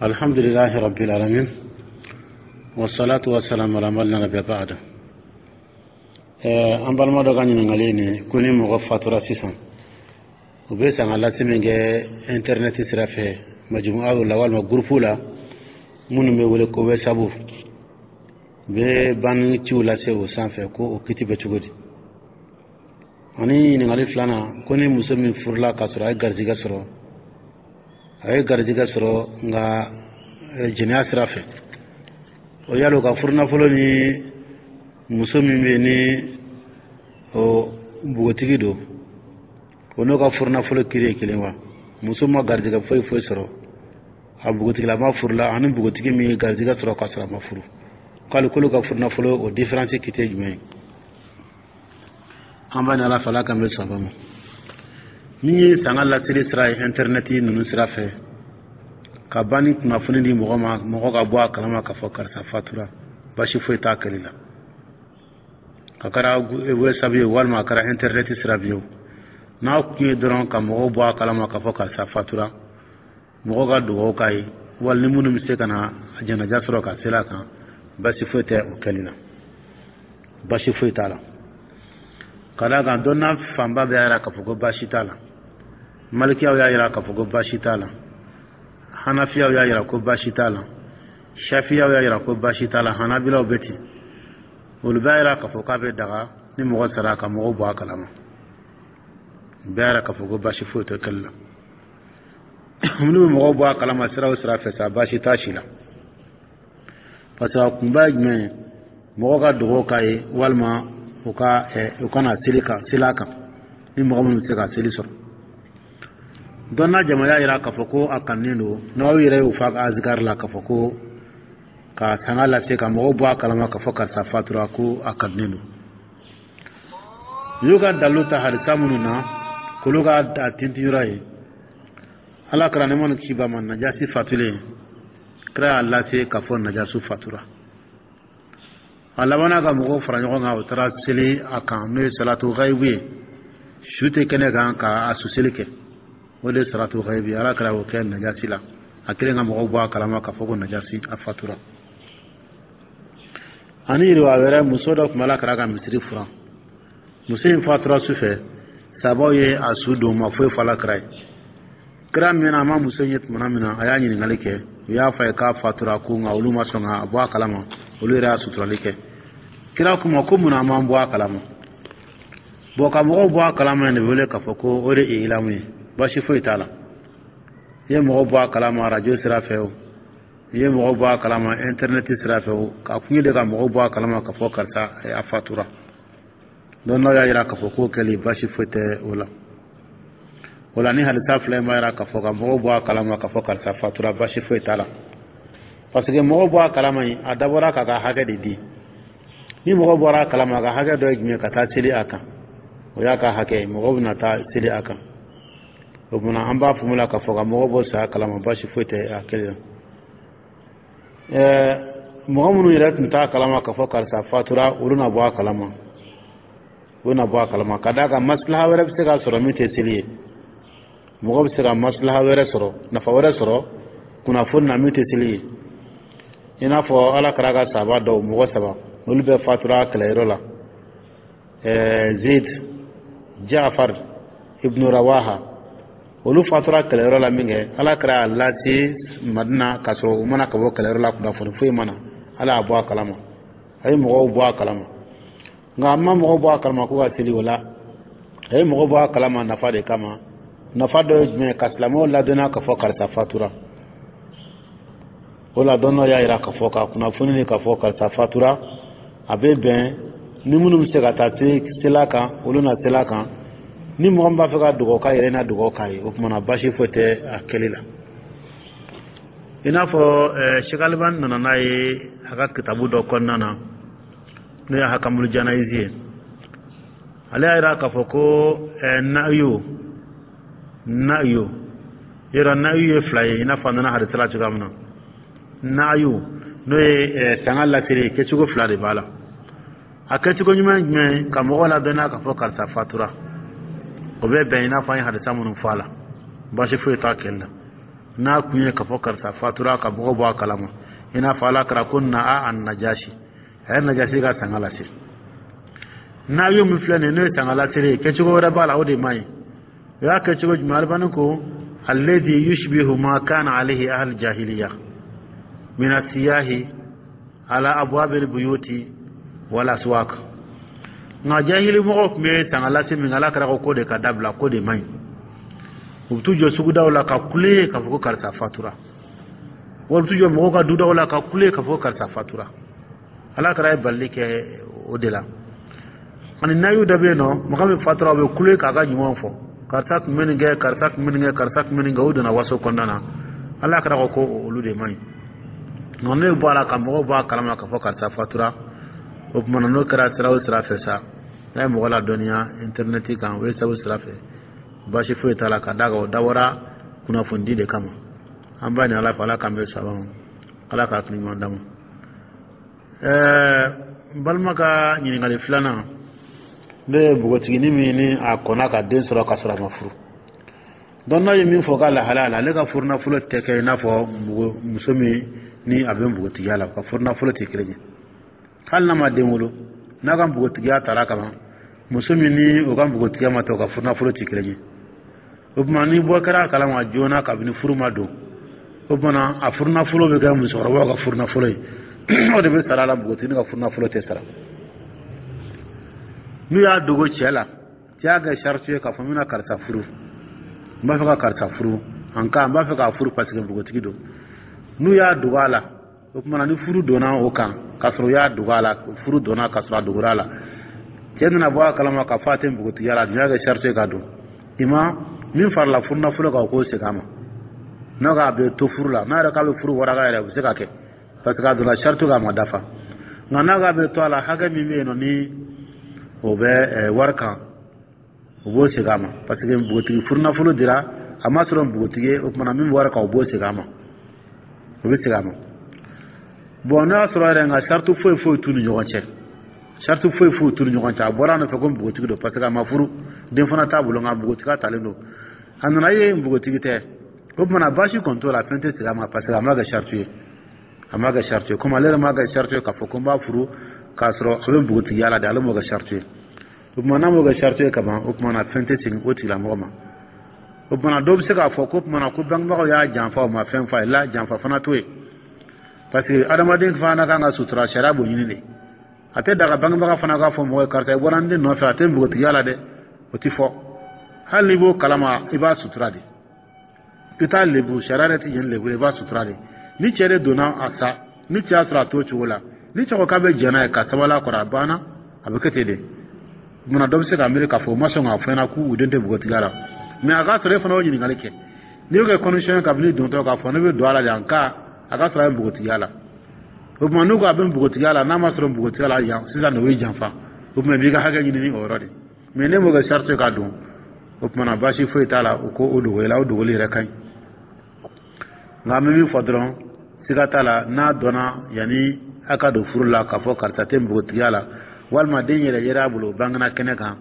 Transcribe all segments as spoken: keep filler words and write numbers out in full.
الحمد لله رب العالمين والصلاة والسلام على من لا نبي بعده. An balima dɔ ka ɲininkali nin ko ni mɔgɔ fatura sisan, u bɛ sanga lase min kɛ internet sira fɛ, majumu'aw la walima groupe la minnu bɛ wele ko WhatsApp, u bɛ banni ciw lase o sanfɛ, ko o kiti bɛ cogo di? Ani ɲininkali filanan, ko ni muso min furula k'a sɔrɔ a ye garijɛgɛ sɔrɔ, a ye garijɛgɛ sɔrɔ nka jɛnɛya sira fɛ, o yala o ka furunafolo ni muso min bɛ yen ni o npogotigi don, o n'o ka furunafolo kiri ye kelen wa? Muso ma garijɛgɛ foyi foyi sɔrɔ, a npogotigilama furula, ani npogotigi min ye garijɛgɛ sɔrɔ k'a sɔrɔ a ma furu, k'ale k'olu ka furunafolo, o différence kiti ye jumɛn ye? An b'a ni Ala fɛ, Ala k'an bɛ sɔn ma. Min ye sanga laseli sira ye internet ninnu sira fɛ, ka ban ni kunnafoni di mɔgɔ ma, mɔgɔ ka bɔ a kalama k'a fɔ karisa fatura, basi foyi t'a kɛli la. A kɛra WhatsApp ye walima a kɛra internet sira bi ye o, n'a kun ye dɔrɔn ka mɔgɔw bɔ a kalama k'a fɔ karisa fatura, mɔgɔw ka dugawu k'a ye, wali ni minnu bɛ se ka na a janaja sɔrɔ ka seli a kan, basi foyi tɛ o kɛli la, basi foyi t'a la. Ka d'a kan dɔnna fanba bɛɛ y'a yira k'a fɔ ko baasi t'a la. Malikiyaw y'a yira k'a fɔ ko baasi t'a la, hanafiyaw y'a yira ko baasi t'a la, shafiyaw y'a yira ko baasi t'a la, hanabilaw bɛ ten. Olu bɛɛ y'a yira k'a fɔ k'a bɛ daga ni mɔgɔ sara ka mɔgɔw bɔ a kalama. Bɛɛ y'a yira k'a fɔ ko baasi foyi tɛ kɛli la. Minnu bɛ mɔgɔw bɔ a kalama sira o sira fɛ sa, baasi t'a si la, parce que a kunba ye jumɛn ye? Mɔgɔw ka dugawu k'a ye walima u ka u kana seli kan, seli a kan, ni mɔgɔ minnu bɛ se ka seli sɔrɔ. Dɔnna jama y'a yira k'a fɔ ko a kanunen don. N'aw yɛrɛ y'o fɔ a ka azikari la k'a fɔ ko ka sanga lase ka mɔgɔw bɔ a kalama k'a fɔ karisa fatura, ko a kanunen don. U y'u ka dalilu ta hadisa minnu na k'olu ka a tintinyɔrɔ ye, Ala kɛra nɛɛma ni kisi b'a ma, Najasi fatulen, kira y'a lase k'a fɔ Najasu fatura. A labanna ka mɔgɔw fara ɲɔgɔn kan, o taara seli a kan, n'o ye salatu gayibu ye, su tɛ kɛnɛ kan ka a suseli kɛ, o de ye salatu gayibu ye. Ala kɛra o kɛ Najasi la, a kelen ka mɔgɔw bɔ a kalama k'a fɔ ko Najasi a fatura. Ani yiriwa wɛrɛ, muso dɔ tun bɛ Ala kɛra ka misiri furan. Muso in fatura su fɛ, sabaw ye a su don, ma foyi fɔ Ala kɛra ye. Kira min a ma muso in ye tuma min na, a y'a ɲininkali kɛ, u y'a fɔ a ye k'a fatura, ko nka olu ma sɔn ka bɔ a kalama, olu yɛrɛ y'a suturali kɛ. Kira kuma ko munna an m'an bɔ a kalama? Bɔn, ka mɔgɔw bɔ a kalama de wele k'a fɔ ko o de ye ilamu ye, baasi foyi t'a la. I ye mɔgɔw bɔ a kalama arajo sira fɛ o, i ye mɔgɔw bɔ a kalama internet sira fɛ o, k'a kun ye de ka mɔgɔw bɔ a kalama k'a fɔ karisa a fatura. Donc n'aw y'a yira k'a fɔ k'o kɛli, baasi foyi tɛ o la. O la ni hadisa fila in b'a yira k'a fɔ ka mɔgɔw bɔ a kalama k'a fɔ karisa fatura, baasi foyi t'a la, parce que mɔgɔw bɔ a kalama in, a dabɔra k'a ka hakɛ de di. Ni mɔgɔ bɔra a kalama, a ka hakɛ dɔ ye jumɛn? Ka taa seli a kan, o y'a ka hakɛ ye, mɔgɔw bɛna taa seli a kan. O tuma an b'a faamu la k'a fɔ ka mɔgɔw bɔ saya kalama, baasi foyi tɛ a kɛli la. Ɛɛ mɔgɔ minnu yɛrɛ tun t'a kalama k'a fɔ karisa fatura, olu na bɔ a kalama, olu na bɔ a kalama, ka d'a kan maslaha wɛrɛ bɛ se ka sɔrɔ min tɛ seli ye. Mɔgɔ bɛ se ka maslaha wɛrɛ sɔrɔ, nafa wɛrɛ sɔrɔ kunnafoni na min tɛ seli ye. I n'a fɔ Ala kɛra ka sahaba dɔw, mɔgɔ saba, olu bɛɛ fatura kɛlɛyɔrɔ la, ɛɛ Zeyid, Jaafar ibn Rawaha. Olu fatura kɛlɛyɔrɔ la min kɛ, Ala kɛra a lase Madina k'a sɔrɔ u mana ka bɔ kɛlɛyɔrɔ la, kunnafoni foyi ma na. Ala y'a bɔ a kalama, a ye mɔgɔw bɔ a kalama, nka a ma mɔgɔw bɔ a kalama ko ka seli o la. A ye mɔgɔw bɔ a kalama nafa de kama. Nafa dɔ ye jumɛn ye? Ka silamɛw ladɔnniya k'a fɔ karisa fatura. O la dɔnniyaw y'a yira k'a fɔ ka kunnafoni ni k'a fɔ karisa fatura, a bɛ bɛn ni minnu bɛ se ka taa seli a kan, olu na seli a kan. Ni mɔgɔ min b'a fɛ ka dugawu k'a yɛrɛ, na dugawu k'a ye. O tuma na baasi foyi tɛ a kɛli la. I n'a fɔ Sɛki Alibani nana n'a ye a ka kitabu dɔ kɔnɔna na, n'o ye Hakamulu Janayizi ye, ale y'a yira k'a fɔ ko nayo nayo yɔrɔ, nayu ye fila ye, i n'a fɔ a nana hadisa la cogoya min na. Nayu, n'o ye sanga laseli ye, kɛcogo fila de b'a la. A kɛcogo ɲuman ye jumɛn ye? Ka mɔgɔw ladɔnniya k'a fɔ karisa fatura, o bɛ bɛn i n'a fɔ an ye hadisa minnu fɔ a la, baasi foyi t'a kɛli la. N'a kun ye k'a fɔ karisa fatura, ka mɔgɔ bɔ a kalama, i n'a fɔ Ala kɛra ko na a Najasi, a ye Najasi ka sanga lase. N'a ye min filɛ nin ye, n'o ye sanga lasere ye, kɛcogo wɛrɛ b'a la, o de man ɲi. O y'a kɛcogo jumɛn? Alibani ko alladhi yushbihu ma kana alayhi ahl jahiliya min asiyahi ala abwabil buyuti wal aswaq. Nka jahili mɔgɔw tun bɛ sanga lase min, Ala kɛra ko ko de ka dabila, ko de man ɲi. U bɛ t'u jɔ sugudaw la ka kule k'a fɔ ko karisa fatura, wala u bɛ t'u jɔ mɔgɔw ka dudaw la ka kule k'a fɔ ko karisa fatura. Ala kɛra ye balili kɛ o de la. Ani nayu dɔ bɛ yen nɔ, mɔgɔ min fatura, u bɛ kule k'a ka ɲumanw fɔ: karisa tun bɛ nin kɛ, karisa tun bɛ nin kɛ, karisa tun bɛ nin kɛ. O donna waso kɔnɔna na. Ala kɛra ko ko olu de man ɲi. Nka n'o bɔ a la ka mɔgɔw bɔ a kalama k'a fɔ karisa fatura, o tuma na, n'o kɛra sira o sira fɛ sa, n'a ye mɔgɔ ladɔnniya intɛrinɛti kan, o ye sira o sira fɛ, baasi foyi t'a la, ka d'a kan o dabɔra kunnafonidi de kama. An b'a ɲini Ala fɛ, Ala k'an bɛn saba ma, Ala k'a hakili ɲuman d'an ma. Ɛɛ n balima ka ɲininkali filanan, ne ye npogotiginin min ni a kɔnna ka den sɔrɔ ka sɔrɔ a ma furu. Donc n'a ye min fɔ k'a lahalaya la, ale ka furunafolo tɛ kɛ i n'a fɔ muso min ni a bɛ npogotigiya la, ka furunafolo tɛ kelen ye. Hali n'a ma den wolo, n'a ka npogotigiya taara ka ban, muso min ni o ka npogotigiya ma ta, o ka furunafolo tɛ kelen ye. O tuma, ni bɔ kɛra a kalama joona kabini furu ma don, o tuma na, a furunafolo bɛ kɛ musokɔrɔbaw ka furunafolo ye, o de bɛ sara a la. Npogotiginin ka furunafolo tɛ sara. N'u y'a dogo cɛ la, cɛ y'a kɛ sariti ye k'a fɔ n bɛna karisa furu, n b'a fɛ ka karisa furu, en cas n b'a fɛ k'a furu parce que npogotigi don. N'u y'a dogo a la, o tuma na, ni furu donna o kan k'a sɔrɔ u y'a dogo a la, furu donna k'a sɔrɔ a dogora a la, cɛ nana bɔ a kalama k'a fɔ a tɛ npogotigiya la, a dun y'a kɛ sariti ye ka don i ma min farala furunafolo kan, o k'o segin a ma. N'o k'a bɛ to furu la, n'a yɛrɛ k'a bɛ furu waraka yɛrɛ, o bɛ se ka kɛ parce que a donna sariti kan, a ma dafa. Nka n'a k'a bɛ to a la, hakɛ min bɛ yen nɔ ni o bɛ wari kan, o b'o segin a ma, parce que npogotigi furunafolo dira a ma sɔrɔ npogotigi ye. O tuma na, min bɛ wari kan, o b'o segin a ma, o bɛ segin a ma. Bon, n'o y'a sɔrɔ yɛrɛ, nka sariti foyi foyi t'u ni ɲɔgɔn cɛ, sariti foyi foyi t'u ni ɲɔgɔn cɛ, a bɔra a nɔfɛ ko npogotigi don parce que a ma furu, den fana t'a bolo, nka npogotigiya talen don, a nana ye npogotigi tɛ, o tuma na, baasi kɔni t'o la, fɛn tɛ segin a ma, parce que a ma kɛ sariti ye, a ma kɛ sariti ye. Komi ale yɛrɛ ma kɛ sariti ye k'a fɔ ko n b'a furu k'a sɔrɔ a bɛ npogotigiya la de, ale m'o kɛ sariti ye. O tuma, n'a m'o kɛ sariti ye kaban, o tuma na, fɛn tɛ segin o tigilamɔgɔ ma. O tuma na, dɔw bɛ se k'a fɔ ko tuma na ko bangebagaw y'a janfa, o ma fɛn f'a ye la. Janfa fana t'o ye, parce que adamaden fana kan ka sutura, sariya b'o ɲini de. A tɛ daga bangebaga fana k'a fɔ mɔgɔ ye karisa i bɔra n den nɔfɛ, a tɛ npogotigiya la dɛ. O tɛ fɔ. Hali n'i b'o kalama, i b'a sutura de, i t'a lebu, sariya yɛrɛ tɛ yen lebu, i b'a sutura de. Ni cɛ de donna a sa, ni cɛ y'a sɔrɔ a t'o cogo la, ni cɛ ko k'a bɛ jɛn n'a ye ka sabali a kɔrɔ, a banna, a bɛ kɛ ten de. Munna dɔ bɛ se ka miiri k'a fɔ u ma sɔn k'a fɔ ɲɛna k'u den tɛ npogotigiya la? Mais a k'a sɔrɔ e fana y'o ɲininkali kɛ, n'i y'o kɛ condition ye kabini dontɔ k'a fɔ ne bɛ don a la de, en cas a ka sɔrɔ a ye npogotigiya la. O tuma, n'u ko a bɛ npogotigiya la, n'a ma sɔrɔ npogotigiya la yan sisan de, o ye janfa. O tuma, i b'i ka hakɛ ɲini ni o yɔrɔ de. Mais ne m'o kɛ sariti ka don, o tuma na, baasi foyi t'a la, o ko o dogo la, o dogoli yɛrɛ ka ɲi. Nka an bɛ min fɔ dɔrɔn, siga t'a la, n'a dɔnna yanni a ka don furu la k'a fɔ karisa tɛ npogotigiya la, walima den yɛrɛ yɛrɛ a bolo, bangena kɛnɛ kan,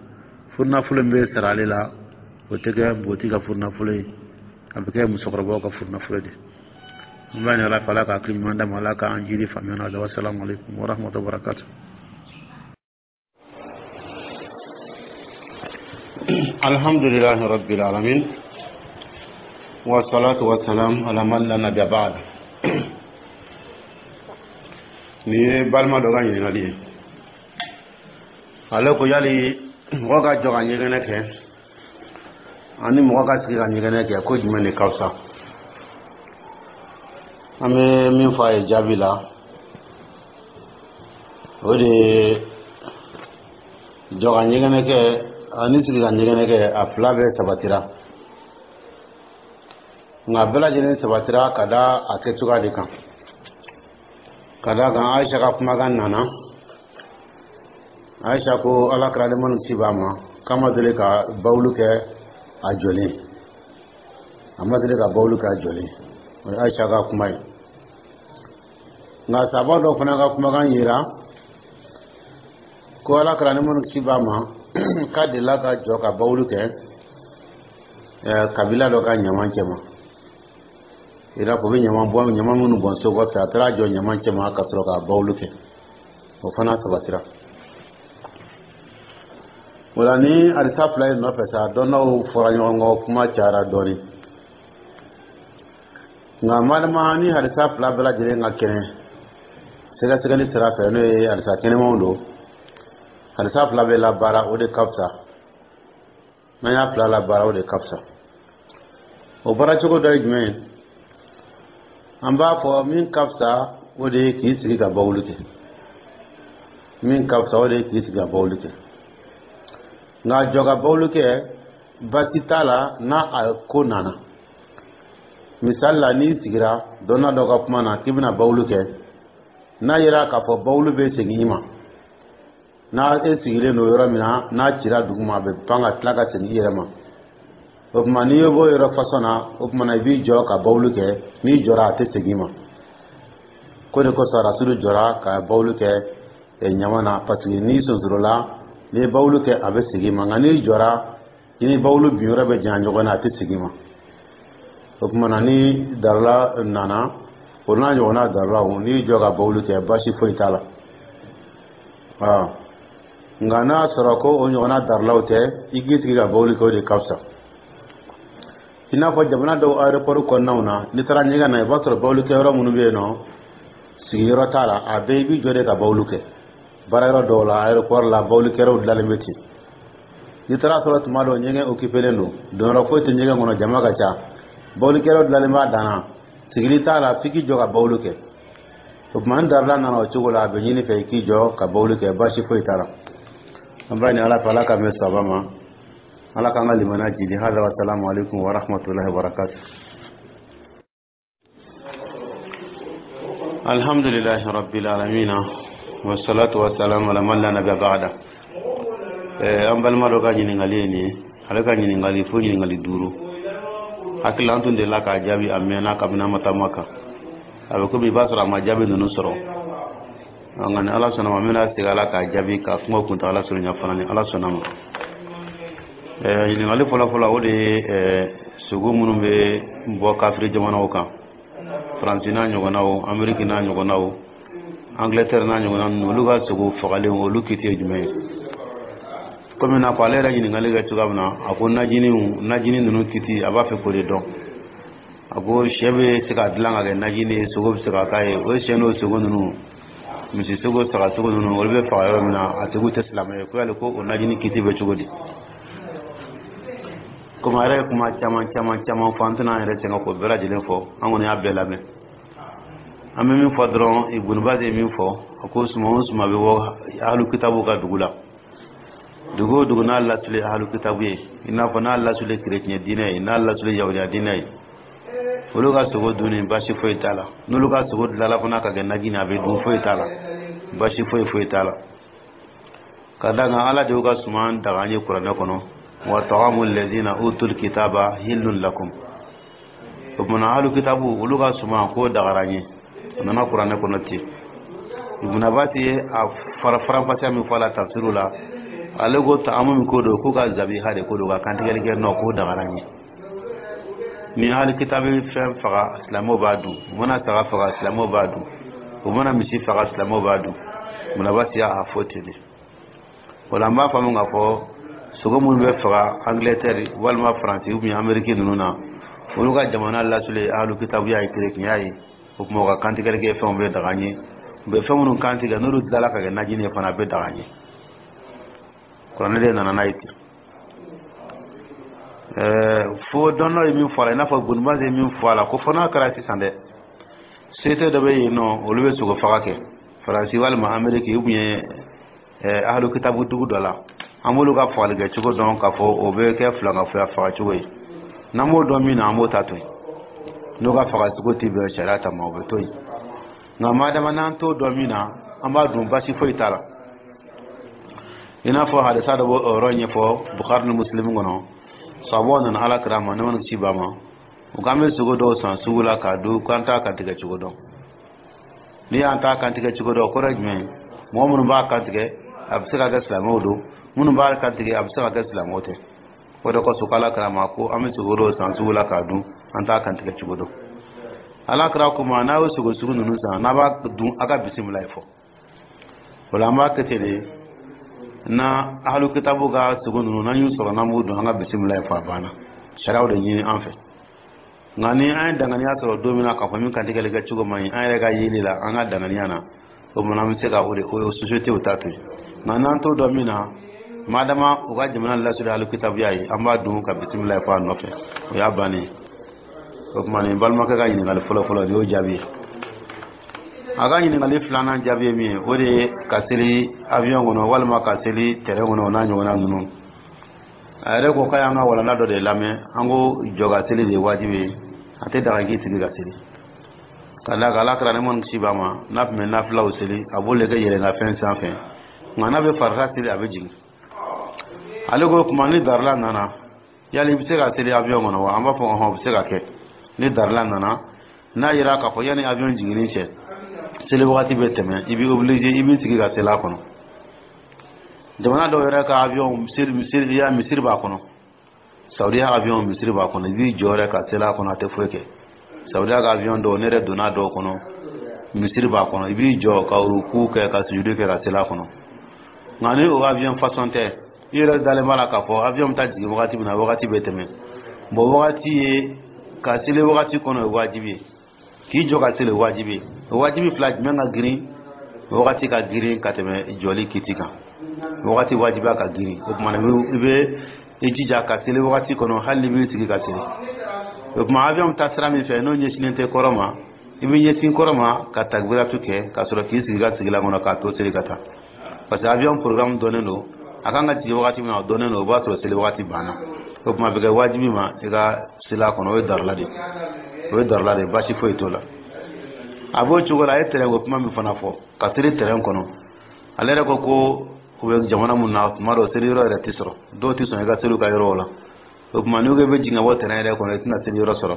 furunafolo min bɛ sara ale la, o tɛ kɛ npogotigi ka furunafolo ye, a bɛ kɛ musokɔrɔbaw ka furunafolo de. An b'a ɲini Ala fɛ, Ala ka hakili ɲuman d'a ma, Ala k'an jiri faamuya na. Wasalamu alaikum warahmatullahi wabarakatuh. الحمد لله رب العالمين والصلاة والسلام على من لا نبي بعد. Nin ye balima dɔ ka ɲininkali ye. Ale ko yali mɔgɔ ka jɔ ka ɲɛgɛnɛ kɛ ani mɔgɔ ka sigi ka ɲɛgɛnɛ kɛ, ko jumɛn de ka fisa? An bɛ min fɔ a ye jaabi la, o de ye jɔ ka ɲɛgɛnɛ kɛ ani sigi ka ɲɛgɛnɛ kɛ, a fila bɛɛ sabatira, nka bɛɛ lajɛlen sabatira ka da a kɛcogoya de kan. Ka da kan, Ayisa ka kumakan nana, Ayisa ko Ala kɛra ni ci b'a ma k'a ma deli ka bawulu kɛ a jɔlen, a ma deli ka bawulu kɛ a jɔlen. O ye Ayisa ka kuma ye. Nka saba dɔ fana ka kumakan yira ko Ala kɛra ni ci b'a ma k'a delila ka jɔ ka bawulu kɛ kabila dɔ ka ɲaman cɛ ma. I n'a fɔ u bɛ ɲama bɔ, ɲama minnu bɔn so kɔfɛ, a taara jɔ ɲama cɛma ka sɔrɔ ka bawulu kɛ, o fana sabatira. O la, ni hadisa fila in nɔfɛ sa, dɔnnaw fɔra ɲɔgɔn kɔ, kuma cayara dɔɔnin. Nka malima, ni hadisa fila bɛɛ lajɛlen ka kɛnɛ sɛgɛsɛgɛli sira fɛ, n'o ye hadisa kɛnɛmanw don, hadisa fila bɛ labaara, o de ka fisa. N'an y'a fila labaara, o de ka fisa. O baara cogo dɔ ye jumɛn ye? An b'a fɔ min ka fisa, o de ye k'i sigi ka bawuli kɛ. Min ka fisa, o de ye k'i sigi ka bawuli kɛ. Nka jɔ ka bawuli kɛ, baasi t'a la n'a a ko nana. Misali la, n'i sigira dɔnna dɔ ka kuma na k'i bɛna bawuli kɛ, n'a yera k'a fɔ bawuli bɛ segin i ma, n'a e sigilen don yɔrɔ min na, n'a cira duguma, a bɛ pan ka tila ka segin i yɛrɛ ma. O tuma, n'i ye bɔ yɔrɔ fasɔn na, o tuma na i b'i jɔ ka bawuli kɛ. N'i jɔra, a tɛ segin i ma. Ko de kosɔn Rasulu jɔra ka bawuli kɛ ɲama na, parce que n'i sonsorola, n'i ye bawuli kɛ, a bɛ segin i ma. Nka n'i jɔra, i ni bawuli bin yɔrɔ bɛ janya ɲɔgɔn na, a tɛ segin i ma. O tuma na, ni darula nana, o n'a ɲɔgɔnna darulaw, n'i jɔ ka bawuli kɛ, baasi foyi t'a la. Nka n'a sɔrɔ ko o ɲɔgɔnna darulaw tɛ, i k'i sigi ka bawuli kɛ, o de ka fisa. I n'a fɔ jamana dɔw aéroport kɔnɔnaw na, n'i taara ɲɛgɛn na, i b'a sɔrɔ bawuli kɛyɔrɔ minnu bɛ yen nɔ, sigiyɔrɔ t'a la, a bɛɛ i b'i jɔ de ka bawuli kɛ. Baara yɔrɔ dɔw la, aéroport la, bawuli kɛyɔrɔw dilanlen bɛ ten. N'i taara sɔrɔ tuma dɔw ɲɛgɛn occupélen don, donyɔrɔ foyi tɛ ɲɛgɛn kɔnɔ, jama ka ca, bawuli kɛyɔrɔ dilanlen b'a dan na, sigili t'a la, f'i k'i jɔ ka bawuli kɛ. O tuma, ni darula nana o cogo la, a bɛ ɲini fɛ i k'i jɔ ka bawuli kɛ, baasi foyi t'a la. An b'a ɲini Ala fɛ, Ala ka mɛn saba ma, Ala k'an ka limaniya jidi. Hada wa salamu alaikum wa rahmatullahi wa barakatuh. Alhamdulillahi rabbil alamin, wassalatu wassalamu ala man la nabiyya ba'da. An balima dɔ ka ɲininkali ye nin ye. Ale ka ɲininkali fo ɲininkali duuru. Hakili an tun delila k'a jaabi a mɛnna, kabini an ma taa Maka. A bɛ komi i b'a sɔrɔ a ma jaabi ninnu sɔrɔ. Nka ni Ala sɔnna ma, n bɛna segin a la k'a jaabi, ka kuma kuntagala surunya fana, ni Ala sɔnna ma. Ɲininkali fɔlɔ-fɔlɔ, o de ye sogo minnu bɛ bɔ kafiri jamanaw kan, Faransi n'a ɲɔgɔnnaw, Ameriki n'a ɲɔgɔnnaw, Angleterre n'a ɲɔgɔnna ninnu, olu ka sogo fagalen, olu kiti ye jumɛn ye? Komi n'a fɔ ale yɛrɛ ɲininkali kɛ cogoya min na, a ko najiniw, najini ninnu kiti, a b'a fɛ k'o de dɔn. A ko sɛ bɛ se ka dilan ka kɛ najini ye, sogo bɛ se ka k'a ye. O sɛ n'o sogo ninnu, misi sogo, saga sogo ninnu, olu bɛ faga yɔrɔ min na, a tigiw tɛ silamɛ ye, ko yali ko o najini kiti bɛ cogo di? Komi a yɛrɛ ye kuma caman caman caman fɔ, an tɛna an yɛrɛ sɛgɛn k'o bɛɛ lajɛlen fɔ. An kɔni y'a bɛɛ lamɛn. An bɛ min fɔ dɔrɔn, Ibunu Bazi ye min fɔ, a ko suma o suma bɛ bɔ ahlu kitabu ka dugu la, dugu o dugu n'a lasuli ahlu kitabu ye, i n'a fɔ n'a lasuli kerecɛn diinɛ ye, n'a lasuli yahudiya diinɛ ye, olu ka sogo dunni, baasi foyi t'a la. N'olu ka sogo dilanla fana ka kɛ najini, a bɛ dun, foyi t'a la, baasi foyi foyi t'a la. Ka d'a kan Ala de y'u ka suman daga an ye Kuranɛ kɔnɔ: wa ta'amu allazina utul kitaba hillun lakum. O tuma, ahlu kitabu, olu ka suman k'o dagara an ye, a nana Kuranɛ kɔnɔ ten. Ibn Abbas ye a fara faranfasiya min fɔ a la tafsiru la, ale ko ta'amu min ko don, k'u ka zabiha de ko don, ka kantigɛli kɛ nɔ, k'o dagara an ye. Ni ahlu kitabu fɛn faga, silamɛw b'a dun. U mana saga faga, silamɛw b'a dun. U mana misi faga, silamɛw b'a dun. Ibn Abbas y'a fɔ ten de. O la, an b'a faamu k'a fɔ sogo minnu bɛ faga Angleterre walima Faransi ou bien Amérique ninnu na, olu ka jamana lasuli ahlu kitabuya ye, kerecɛnya ye. O tuma, u ka kantigɛli kɛ fɛnw bɛ daga an ye. U bɛ fɛn minnu kantigɛ, n'olu dilanla ka kɛ najini ye fana, a bɛ daga an ye. Kuranɛ de nana n'a ye ten. Fo dɔn ye min fɔ a la, i n'a fɔ Ibn Baz ye min fɔ a la, ko fo n'a kɛra sisan dɛ, société dɔ bɛ yen nɔ, olu bɛ sogo faga kɛ Faransi walima Amérique ou bien ahlu kitabu dugu dɔ la, an b'olu ka fagali kɛ cogo dɔn k'a fɔ o bɛ kɛ filankafoya faga cogo ye. N'an b'o dɔn min na, an b'o ta to yen. N'o ka faga cogo tɛ bɛn sariya ta ma, o bɛ to yen. Nka madama n'an t'o dɔn min na, an b'a dun, basi foyi t'a la. I n'a fɔ hadisa dɔ b'o yɔrɔ ɲɛfɔ Bukhari ni Muslim kɔnɔ. Sababu nana Ala kira ma, ne mana ci ba ma, u k'an bɛ sogo dɔw san sugu la k'a dun, k'an t'a kantigɛ cogo dɔn. N'i y'an t'a kantigɛ cogo dɔn, o kɔrɔ ye jumɛn ye? Mɔgɔ minnu b'a kantigɛ, a bɛ se ka kɛ silamɛw don. Minnu b'a kantigɛ, a bɛ se ka kɛ silamɛw tɛ. O de kosɔn k'Ala kira ma ko an bɛ sogo dɔw san sugu la k'a dun, an t'a kantigɛ cogo dɔn. Ala kira ko ma, n'a y'o sogo sugu ninnu san, n'a b'a dun, a ka bisimila fɔ. O la, an b'a kɛ ten de. Na ahalu kitabu ka sogo ninnu, n'an y'u sɔrɔ, n'an b'u dun, an ka bisimila fɔ, a banna. Sariyaw de ɲini an fɛ. Nka ni an ye danganiya sɔrɔ don min na k'a fɔ min kantigɛli kɛ cogo man ɲi an yɛrɛ ka yeli la, an ka danganiya na, o tuma an bɛ se ka o de o société ta to yen. Nka n'an t'o dɔn min na, madama u ka jamana lasiri alu kitabuya ye, an b'a dun ka bisimila fɔ a nɔfɛ, o y'a bannen ye. O tuma, nin balimakɛ ka ɲininkali fɔlɔ-fɔlɔ, nin y'o jaabi ye. A ka ɲininkali filanan jaabi ye min ye, o de ye ka seli avion kɔnɔ walima ka seli terrain kɔnɔ, o n'a ɲɔgɔnna ninnu. A yɛrɛ ko k'a y'an ka walanda dɔ de lamɛn, an ko jɔ ka seli de ye wajibi ye, a tɛ daga k'i sigi ka seli. Ka d'a kan, Ala kɛra ne kisi b'a ma, n'a tun bɛ nafilaw seli, a b'o de kɛ yɛlɛnka sanfɛ, nka n'a bɛ farida seli, a bɛ jigin. Ale ko kuma ni darila nana, yali i bɛ se ka seli avion kɔnɔ wa? An b'a fɔ ɔhɔn, o bɛ se ka kɛ ni darila nana. N'a yira k'a fɔ yanni avion jiginni cɛ, seli wagati bɛ tɛmɛ, i bɛ obligé i b'i sigi ka seli a kɔnɔ. Jamana dɔw yɛrɛ ka avion, misiri misiri ya misiri b'a kɔnɔ. Saudiya avion, misiri b'a kɔnɔ, i b'i jɔ yɛrɛ ka seli a kɔnɔ, a tɛ foyi kɛ. Saudiya ka avion dɔw, ne yɛrɛ donna dɔw kɔnɔ, misiri b'a kɔnɔ, i b'i jɔ ka ruku kɛ, ka sujudu kɛ, ka seli a kɔnɔ. Nka ni o avion façon tɛ, i yɛrɛ dalen b'a la k'a fɔ avion bɛ taa jigin wagati min na, wagati bɛ tɛmɛ. Bon, wagati ye ka seli wagati kɔnɔ o ye wajibi ye, k'i jɔ ka seli o ye wajibi ye. O wajibi fila, jumɛn ka girin? Wagati ka girin ka tɛmɛ jɔli kiti kan. Wagati wajibiya ka girin. O tuma, i bɛ i jija ka seli wagati kɔnɔ, hali ni b'i sigi ka seli. O tuma, avion bɛ taa sira min fɛ, n'o ɲɛsinnen tɛ kɔrɔ ma, i bɛ ɲɛsin kɔrɔ ma ka takbiratu kɛ, ka sɔrɔ k'i sigi ka sigilan kɔnɔ k'a to seli ka taa, parce que avion programme dɔnnen don. A kan ka jigin wagati min na, o dɔnnen don. O b'a sɔrɔ seli wagati banna. O tuma, a bɛ kɛ wajibi ma i ka seli a kɔnɔ. O ye darila de ye, o ye darila de ye, baasi foyi t'o la. A b'o cogo la. A ye terrain ko kuma min fana fɔ, ka seli terrain kɔnɔ, ale yɛrɛ ko ko u bɛ jamana mun na, tuma dɔw seli yɔrɔ yɛrɛ tɛ sɔrɔ, dɔw tɛ sɔn i ka seli u ka yɔrɔw la. O tuma, n'u ko i bɛ jigin ka bɔ terrain yɛrɛ kɔnɔ, i tɛna seli yɔrɔ sɔrɔ.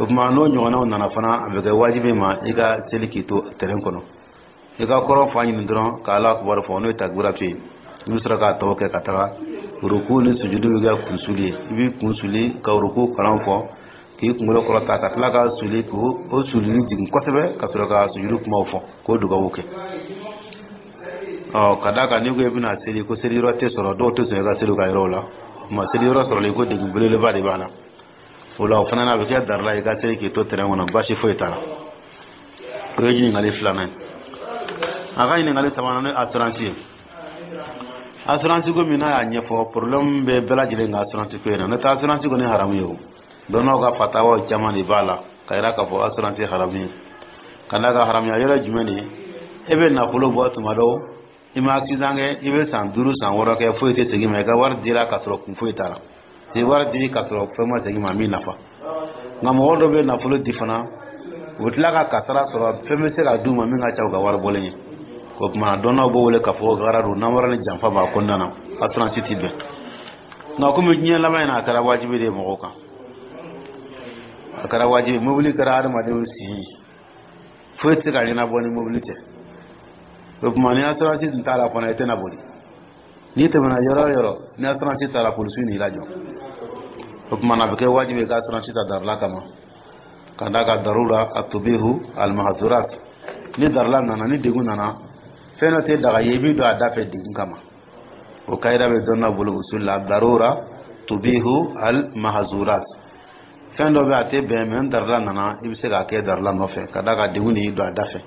O tuma, n'o ɲɔgɔnnaw nana fana, a bɛ kɛ wajibi ma i ka seli k'i to terrain kɔnɔ. I ka kɔrɔ fa ɲini dɔrɔn ka Ala kibaru fɔ, n'o ye takbiratu ye. I bɛ sɔrɔ k'a tɔ kɛ ka taga ruku ni sujudu bɛ kɛ kunsuli ye. I b'i kun suli ka ruku kalan fɔ, k'i kunkolo kɔrɔta, ka tila ka suli k'o o sulili jigin kosɛbɛ, ka sɔrɔ ka sujudu kumaw fɔ, k'o dugawu kɛ. Ɔ, ka d'a kan, n'i ko i bɛna seli ko seli yɔrɔ tɛ sɔrɔ, dɔw tɛ sɔn i ka seli u ka yɔrɔw la. O tuma, seli yɔrɔ sɔrɔli ko degun belebeleba de b'a la. O la, o fana na, a bɛ kɛ darila i ka seli k'i to terrain kɔnɔ, baasi foyi t'a la. O ye ɲininkali filanan ye. A ka ɲininkali sabanan, n'o ye assurance ye. Assurance ko min n'a y'a ɲɛfɔ, problème bɛ bɛɛ lajɛlen ka assurance ko in na. N'o tɛ, assurance kɔni haramu ye. O dɔnnaw ka fatawaw caman de b'a la ka yira k'a fɔ assurance haramu ye. Ka d'a kan, haramuya yɔrɔ jumɛn de ye? E bɛ nafolo bɔ tuma dɔw, i ma accident kɛ, i bɛ san duuru, san wɔɔrɔ kɛ, foyi tɛ segin ma. I ka wari dira ka sɔrɔ kun foyi t'a la. I wari di ka sɔrɔ fɛn ma segin ma min nafa. Nka mɔgɔ dɔ bɛ nafolo di fana, u bɛ tila ka kasara sɔrɔ, fɛn bɛ se ka d'u ma min ka ca u ka wari bɔlen ye. O tuma, dɔnnaw b'o wele k'a fɔ gara don, namara ni janfa b'a kɔnɔna na, assurance ti bɛn. Nka komi diɲɛ laban in na, a kɛra wajibi de ye mɔgɔw kan, a kɛra wajibi. Mobili kɛra hadamadenw sen ye, foyi tɛ se ka ɲɛnabɔ ni mobili tɛ. O tuma, ni assurance tun t'a la fana, i tɛna boli. N'i tɛmɛna yɔrɔ o yɔrɔ, ni assurance t'a la, polisiw n'i lajɔ. O tuma na, a bɛ kɛ wajibi ye ka assurance ta darila kama, ka d'a kan darura atubihu almahzurat. Ni darila nana, ni degun nana, fɛn dɔ tɛ daga ye, i b'i don a da fɛ degun kama. O kayida bɛ dɔnna bolo usul la: darura tubihu al mahzurat. Fɛn dɔ bɛ, a tɛ bɛn, mɛ ni darila nana, i bɛ se k'a kɛ darila nɔfɛ, ka d'a kan degun de y'i don a da fɛ.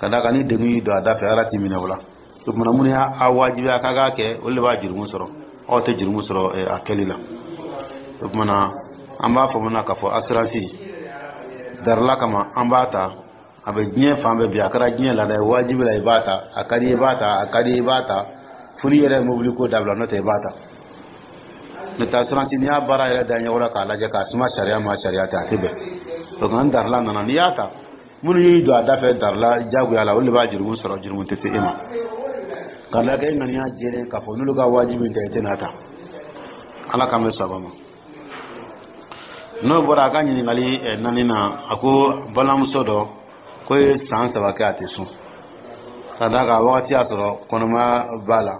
Ka d'a kan, ni degun y'i don a da fɛ, Ala t'i minɛ o la. O tuma, minnu y'a wajibiya k'a k'a kɛ, olu de b'a jurumu sɔrɔ, aw tɛ jurumu sɔrɔ a kɛli la. O tuma na, an b'a fɔ mun na k'a fɔ assurance, darila kama an b'a ta. A bɛ diɲɛ fan bɛɛ bi, a kɛra diɲɛ laada ye. Wajibi la, i b'a ta. A ka di, i b'a ta. A ka di, i b'a ta. Fo n'i yɛrɛ ye mobili ko dabila, n'o tɛ, i b'a ta. N'o tɛ, assurance, n'i y'a baara yɛrɛ da ɲɛkɔrɔ k'a lajɛ k'a suma sariya ma, sariya tɛ, a tɛ bɛn. O nka ni darila nana, n'i y'a ta, minnu y'i don a da fɛ darila jagoya la, olu de b'a jurumu sɔrɔ, jurumu tɛ se e ma. Ka da kɛ e ŋaniya jɛlen k'a fɔ n'olu ka wajibi tɛ, i tɛna ta. Ala k'an bɛ saba ma. N'o bɔra, a ka ɲininkali naani na, a ko balimamuso dɔ ko ye san saba kɛ, a tɛ sun, ka d'a kan wagati y'a sɔrɔ kɔnɔmaya b'a la.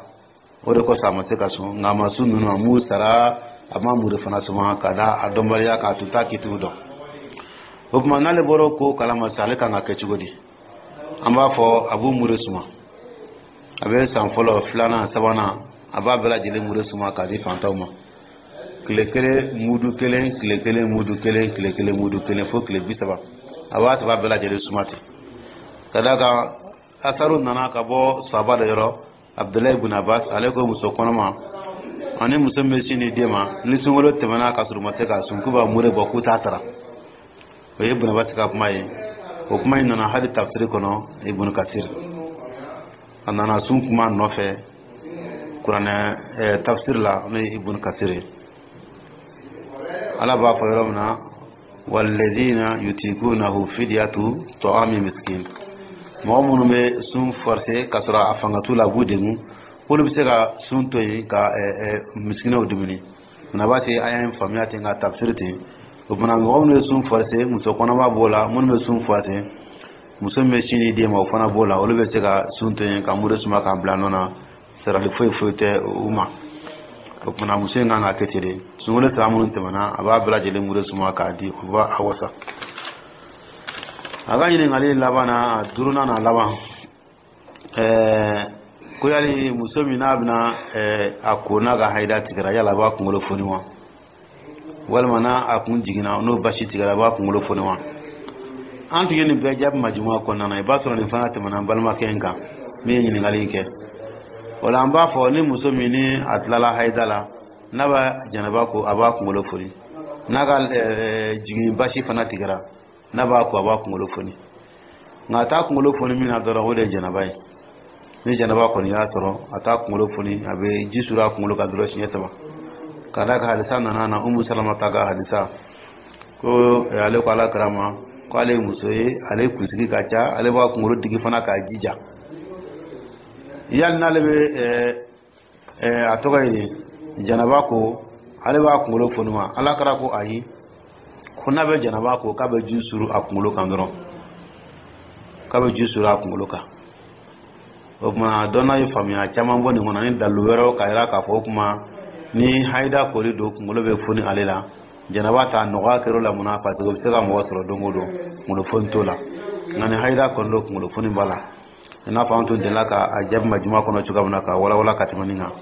O de kosɔn a ma se ka sun. Nka a ma sun ninnu, a m'u sara, a ma muru fana suma, ka da a dɔnbaliya k'a tun t'a kitigiw dɔn. O tuma, n'ale bɔra o ko kalama sisan, ale kan ka kɛ cogo di? An b'a fɔ a b'u mure suma. A bɛ san fɔlɔ, filanan, sabanan, a b'a bɛɛ lajɛlen mure suma k'a di fantanw ma, tile kelen mudu kelen, tile kelen mudu kelen, tile kelen mudu kelen, fo tile bi saba. A b'a saba bɛɛ lajɛlen suma ten, ka d'a kan asaru nana ka bɔ saba dɔ yɔrɔ, Abdulayi ibn Abbas. Ale ko muso kɔnɔma ani muso min bɛ sin di den ma, ni sunkalo tɛmɛna ka sɔrɔ u ma se k'a sun, k'u b'a mure bɔ, k'u t'a sara. O ye Ibn Abbas ka kuma ye. O kuma in nana hali tafsiri kɔnɔ, Ibn Kasir, a nana sun kuma nɔfɛ kuranɛ tafsir la, n'o ye Ibn Kasir ye. Ala b'a fɔ yɔrɔ min na: "Walladhina yutikunahu fidyatu ta'ami miskin." Mɔgɔ minnu bɛ sun forcer ka sɔrɔ a fanga t'u la, a b'u degun, k'olu bɛ se ka sun to yen ka misikinɛw dumuni. Munna b'a se an y'an faamuya ten ka tafsiri ten? O fana, mɔgɔ minnu bɛ sun forcer, muso kɔnɔma b'o la, minnu bɛ sun forcer, muso min bɛ sin di den ma, o fana b'o la. Olu bɛ se ka sun to yen ka muru suma k'a bila nɔ na, sarali foyi foyi tɛ u ma. O kumana, muso in kan ka kɛ ten de. Sunkalo saba minnu tɛmɛna, a b'a bɛɛ lajɛlen muru suma k'a di, o b'a a wasa. A ka ɲininkali laban na, a duurunan na laban, ɛɛ ko yali muso min n'a bɛna a ko n'a ka hayida tigɛra, yala a b'a kunkolo foni wa, walima n'a a kun jiginna, n'o basi tigɛra, a b'a kunkolo foni wa? An tun ye nin bɛɛ jaabi majuma kɔnɔna na. I b'a sɔrɔ nin fana tɛmɛna an balimakɛ in kan min ye ɲininkali in kɛ. O la, an b'a fɔ ni muso min ni a tilala hayida la, n'a b'a janaba ko, a b'a kunkolo foni. N'a ka jigin basi fana tigɛra, n'a b'a ko, a b'a kunkolo foni. Nka a t'a kunkolo foni min na dɔrɔn, o de ye janaba ye. Ni janaba kɔni y'a sɔrɔ, a t'a kunkolo foni, a bɛ ji suru a kunkolo kan dɔrɔn siɲɛ saba, ka d'a kan hadisa nana na, Umu Salama ta ka hadisa, ko ale ko Ala kira ma ko ale ye muso ye, ale kunsigi ka ca, ale b'a kunkolo digi fana k'a jija. Yali n'ale bɛ a tɔgɔ ye janaba ko, ale b'a kunkolo foni wa? Ala kira ko ayi, ko n'a bɛ janaba ko, k'a bɛ ji suru a kunkolo kan dɔrɔn, k'a bɛ ji suru a kunkolo kan. O tuma, dɔnna ye faamuya caman bɔ nin kɔnɔ ni dalilu wɛrɛw ka yira k'a fɔ o tuma, ni hayida koli don, kunkolo bɛ foni ale la. Janaba ta, nɔgɔya kɛr'o la. Munna? Parce que o bɛ se ka mɔgɔ sɔrɔ don o don, kunkolo foni t'o la. Nka ni hayida kɔni don, kunkolo foni b'a la, i n'a fɔ an tun delila ka a jaabi majuma kɔnɔ cogoya min na, ka walawala ka tɛmɛ nin kan.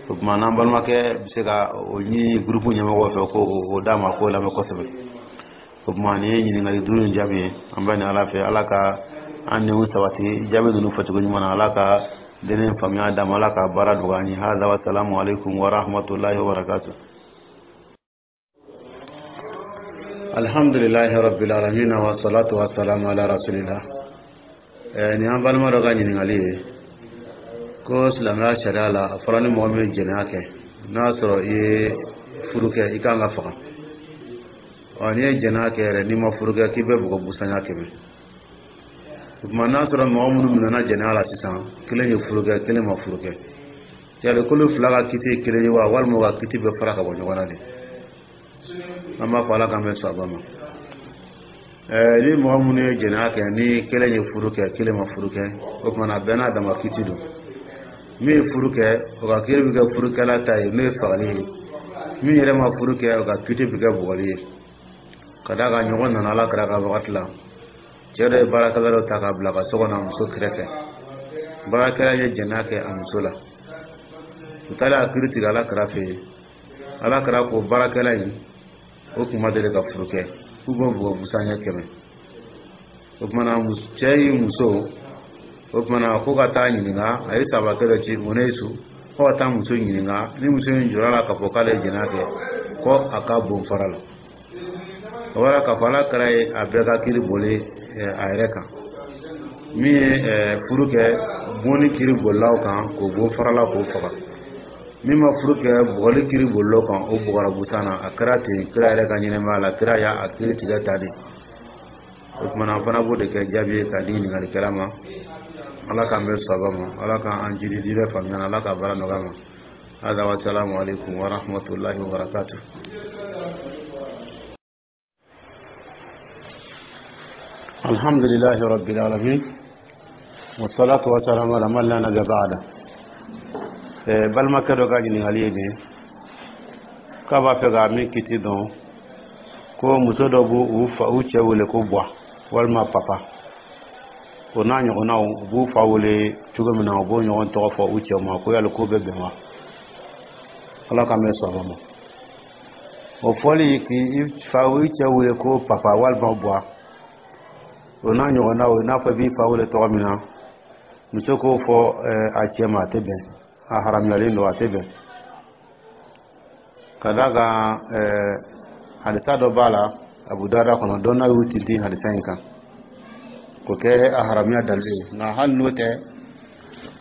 O tuma, n'an balimakɛ bɛ se ka o ɲini groupe ɲɛmɔgɔw fɛ ko o d'a ma, k'o lamɛn kosɛbɛ. O tuma, nin ye ɲininkali duuru in jaabi ye. An bɛ nin Ala fɛ, Ala ka an denw sabati jaabi ninnu fɔcogo ɲuman na. Ala ka denen faamuya d'a ma, Ala ka baara nɔgɔya an ye. Hada wa salamu aleykum wa rahmatulahi wa barakatuh. Alhamdulilahi rabbil alamin, wa salatu wa salamu ala rasulillah. Nin an balima dɔ ka ɲininkali ye ko silamɛya sariya la, a fɔra ni mɔgɔ min ye jɛnɛya kɛ, n'a y'a sɔrɔ i ye furu kɛ, i kan ka faga. Ɔ, n'i ye jɛnɛya kɛ yɛrɛ, n'i ma furu kɛ, k'i bɛ bugɔ busanya kɛmɛ. O tuma, n'a sɔrɔ mɔgɔ minnu minɛna jɛnɛya la sisan, kelen ye furu kɛ, kelen ma furu kɛ, yali k'olu fila ka kiti ye kelen ye wa, walima u ka kiti bɛ fara ka bɔ ɲɔgɔn na de? An b'a fɔ Ala k'an bɛn sababa ma. Ɛɛ ni mɔgɔ minnu ye jɛnɛya kɛ, ni kelen ye furu kɛ, kelen ma furu kɛ, o tuma na, bɛɛ n'a dama kiti don. Min ye furu kɛ, o ka kiri bɛ kɛ furukɛla ta ye, n'o ye fagali ye. Min yɛrɛ ma furu kɛ, o ka kiti bɛ kɛ bugɔli ye, ka d'a kan ɲɔgɔn nana Ala kira ka wagati la. Cɛ dɔ ye baarakɛla dɔ ta k'a bila ka so kɔnɔ a muso kɛrɛfɛ. Baarakɛla ye jɛnɛya kɛ a muso la. U taara a kiri tigɛ Ala kira fɛ yen. Ala kira ko baarakɛla in, o tun ma deli ka furu kɛ, k'u b'o bugɔ busan ɲɛ kɛmɛ. O kumana, cɛ y'i muso, o kumana, ko ka taa ɲininka. A ye sabakɛ dɔ ci su ko ka taa muso ɲininka. Ni muso in jɔra la k'a fɔ k'ale ye jɛnɛya kɛ, ko a ka bon fara la. O bɔra k'a fɔ Ala kɛra ye a bɛɛ ka kiri boli a yɛrɛ kan. Min ye furu kɛ, bonni kiri bolilaw kan, k'o bon farala, k'o faga. Min ma furu kɛ, bugɔli kiri bolilaw kan, o bugɔra busan na. A kɛra ten kira yɛrɛ ka ɲɛnɛmaya la. Kira y'a kiri tigɛ ta de. O kumana, an fana b'o de kɛ jaabi ye k'a di ɲininkalikɛla ma. Ala k'an bɛn sababa ma, Ala k'an jidi diinɛ faamuya na, Ala ka baara nɔgɔya ma. Hada wa salamu aleykum wa rahmatulahi wa barakatuh. Alhamdulilahi rabbil alamin, wassalatu wassalamu ala man la nabiyya ba'da. Balimakɛ dɔ ka ɲininkali ye nin ye, k'a b'a fɛ ka min kiti dɔn. Ko muso dɔ b'u fa, u cɛ wele ko buwa walima papa, o n'a ɲɔgɔnnaw, u b'u fa wele cogo min na, u b'o ɲɔgɔn tɔgɔ fɔ u cɛw ma, ko yali ko bɛ bɛn wa? Ala k'an bɛ sɔrɔ ma. O fɔli k'i fa, i cɛ wele ko papa walima buwa, o n'a ɲɔgɔnnaw, i n'a fɔ i b'i fa wele tɔgɔ min na, muso k'o fɔ a cɛ ma, a tɛ bɛn, a haramuyalen don, a tɛ bɛn. Ka d'a kan, hadisa dɔ b'a la Abu Dawuda kɔnɔ, dɔnna y'u tintin hadisa in kan k'o kɛ a haramuya dalilu ye. Nka hali n'o tɛ,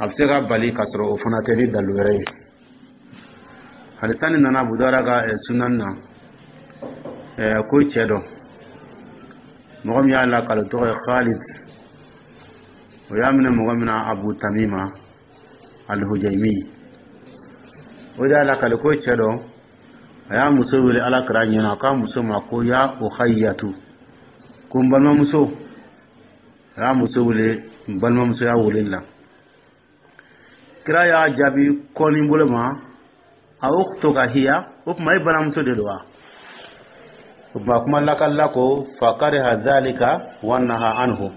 a bɛ se ka bali ka sɔrɔ o fana tɛ ni dalilu wɛrɛ ye. Hadisa nin nana Abu Dawuda ka sunan na, ko cɛ dɔ, mɔgɔ min y'a lakale, tɔgɔ ye Khalid, o y'a minɛ mɔgɔ min na, Abu Tamima Alhujaymi, o de y'a lakale ko cɛ dɔ, a y'a muso wele Ala kira ɲɛna, k'a muso ma ko ya uhayyatu, ko n balimamuso. A y'a muso wele n balimamuso y'a wele la. Kira y'a jaabi kɔni bolo ma: a ukhtuka hiya? O tuma, e balimamuso de don wa? O tuma, kuma lakalila ko fakariha dhalika wa naha anhu.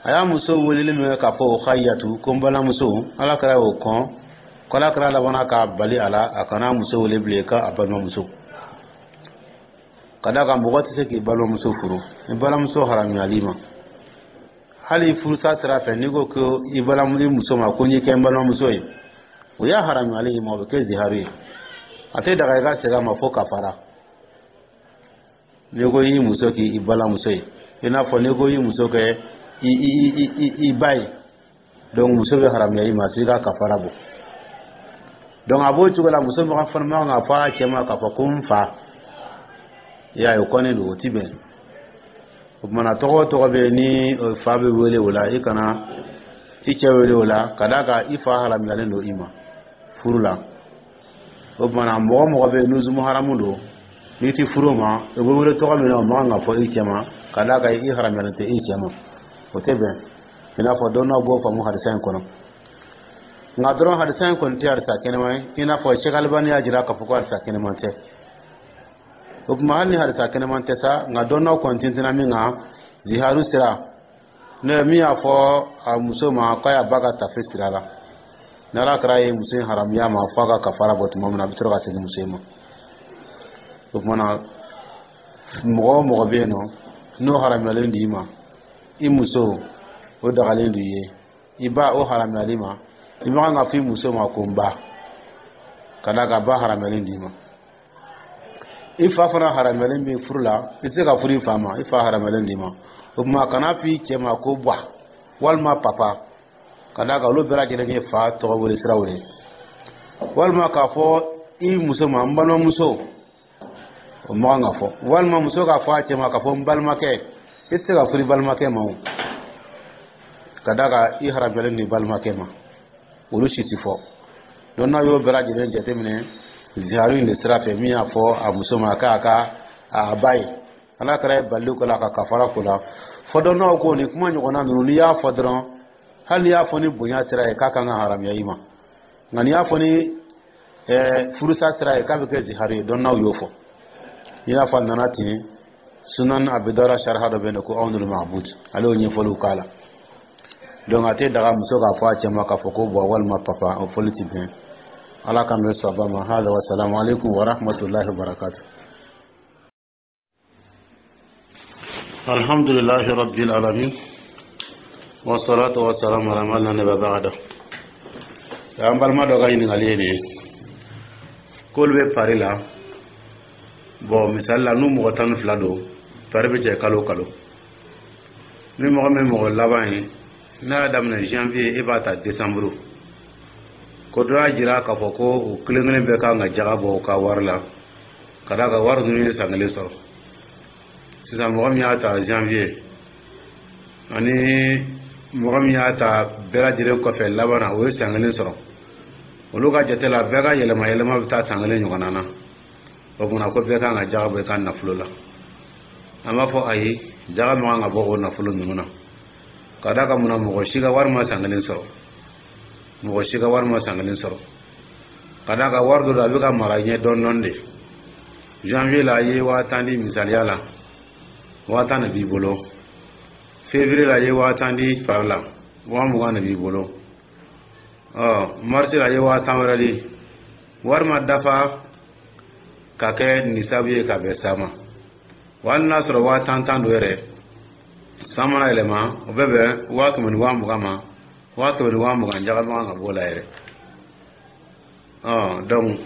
A y'a muso weleli min kɛ k'a fɔ uhayyatu, ko n balimamuso, Ala kira y'o kɔn, ko Ala kira labanna k'a bali a la, a kana muso wele bilen k'a balimamuso. Ka d'a kan, mɔgɔ tɛ se k'i balimamuso furu, i balimamuso haramuyali ma. Hali furusa sira fɛ, n'i ko ko i balimamuso muso ma ko n y'i kɛ n balimamuso ye, o y'a haramuyali i ma, o bɛ kɛ ziharu ye, a tɛ daga i ka segin a ma fo kafara. N'i ko i muso k'i balimamuso ye, i n'a fɔ n'i ko i muso kɛ i i i i ba ye, donc muso bɛ haramuya i ma f'i ka kafara bɔ. Donc a b'o cogo la, muso fana man kan ka fɔ a cɛ ma k'a fɔ ko n fa. I y'a ye, o kɔnnen don, o ti bɛn. O kumana, tɔgɔ o tɔgɔ bɛ yen ni fa bɛ wele o la, i kana i cɛ wele o la, ka d'a kan i fa haramuyalen don i ma furu la. O kumana, mɔgɔ mɔgɔ bɛ yen n'u haramu don, n'i ti furu o ma, o bɛ wele tɔgɔ min na, o man kan ka fɔ i cɛ ma, ka d'a kan i haramuyalen tɛ i cɛ ma, o tɛ bɛn. I n'a fɔ dɔnnaw b'o faamu hadisa in kɔnɔ. Nka dɔrɔn, hadisa in kɔni tɛ hadisa kɛnɛma ye, i n'a fɔ Sheikh Albani y'a jira k'a fɔ ko hadisa kɛnɛman tɛ. O tuma, hali ni hadisa kɛnɛman tɛ sa, nka dɔnnaw kɔni tintinna min kan, ziharu sira ne min y'a fɔ a muso ma k'a y'a ba ka tafe siri a la, ni Ala kɛra ye muso in haramuya ma f'a ka kafara bɔ tuma min na, a bɛ sɔrɔ ka segin muso in ma. O tuma na, mɔgɔ o mɔgɔ bɛ yen nɔ n'o haramuyalen don i ma, i muso, o dagalen don i ye, i ba, o haramuyali ma, i man kan ka fɔ i muso ma ko n ba, ka d'a kan ba haramuyalen don i ma. I fa fana haramuyalen bɛ furu la, i tɛ se ka furu i fa ma, i fa haramuyalen don i ma. O tuma, kana fɔ i cɛ ma ko buwa walima papa, ka d'a kan olu bɛɛ lajɛlen ye fa tɔgɔ wele siraw ye. Walima k'a fɔ i muso ma n balimamuso, o man kan ka fɔ. Walima muso k'a fɔ a cɛ ma k'a fɔ n balimakɛ, i tɛ se ka furu i balimakɛ ma o, ka d'a kan i haramuyalen don i balimakɛ ma. Olu si ti fɔ. Donc n'a y'o bɛɛ lajɛlen jateminɛ ziharu in de sira fɛ, min y'a fɔ a muso ma k'a ka a ba ye, Ala kɛra ye baliw ko la ka kafara ko la fɔ. Dɔnnaw ko nin kuma ɲɔgɔnna ninnu, n'i y'a fɔ dɔrɔn, hali n'i y'a fɔ ni bonya sira ye, k'a kan ka haramuya i ma, nka n'i y'a fɔ ni furusa sira ye, k'a bɛ kɛ ziharu ye. Dɔnnaw y'o fɔ, i n'a fɔ a nana ten Sunan Abi Dawuda sariha dɔ bɛ yen ko Awnul Ma'bud, ale y'o ɲɛfɔliw k'a la. Donc a tɛ daga muso k'a fɔ a cɛ ma k'a fɔ ko buwa walima papa, o fɔli ti bɛn. Ala k'an bɛ sɔn ma. Hada wa salamu alaikum wa rahmatullahi wa barakatuh. Alhamdulillahi rabbil alamin, wa salatu wa salam ala man la nabiyya ba'da. An balima dɔ ka ɲininkali ye nin ye, k'olu bɛ pari la. Bon, misali la, n'u mɔgɔ tan ni fila don, pari bɛ cɛ kalo o kalo. Ni mɔgɔ min mɔgɔ laban ye, n'a y'a daminɛ janvier, e b'a ta décembre. Ko dɔ y'a jira k'a fɔ ko u kelen kelen bɛɛ kan ka jaga bɔ u ka wari la, ka d'a kan wari ninnu ye san kelen sɔrɔ. Sisan, mɔgɔ min y'a ta janvier ani mɔgɔ min y'a ta bɛɛ lajɛlen kɔfɛ laban na, o ye san kelen sɔrɔ. Olu ka jate la, bɛɛ ka yɛlɛma yɛlɛma bɛ taa san kelen ɲɔgɔnna na. O kumana, ko bɛɛ kan ka jaga bɔ i ka nafolo la. An b'a fɔ ayi, jaga man kan ka bɔ o nafolo ninnu na, ka d'a kan munna? Mɔgɔ si ka wari ma san kelen sɔrɔ, mɔgɔ si ka wari ma san kelen sɔrɔ, ka d'a kan wari dɔ don, a bɛ ka mara ɲɛ dɔɔnin dɔɔnin de. Janvier la, i ye waa tan di misaliya la, waa tan de b'i bolo. Février la, i ye waa tan di pari la, waa mugan de b'i bolo. Ɔ, mars la, i ye waa tan wɛrɛ di, wari ma dafa ka kɛ nisabu ye ka bɛn sa ma. Wa hali n'a sɔrɔ waa tan tan don yɛrɛ, san mana yɛlɛma, o bɛ bɛn waa kɛmɛ ni waa mugan ma. Waa kɛmɛ ni waa mugan, jaga man kan ka b'o la yɛrɛ. Ɔ, donc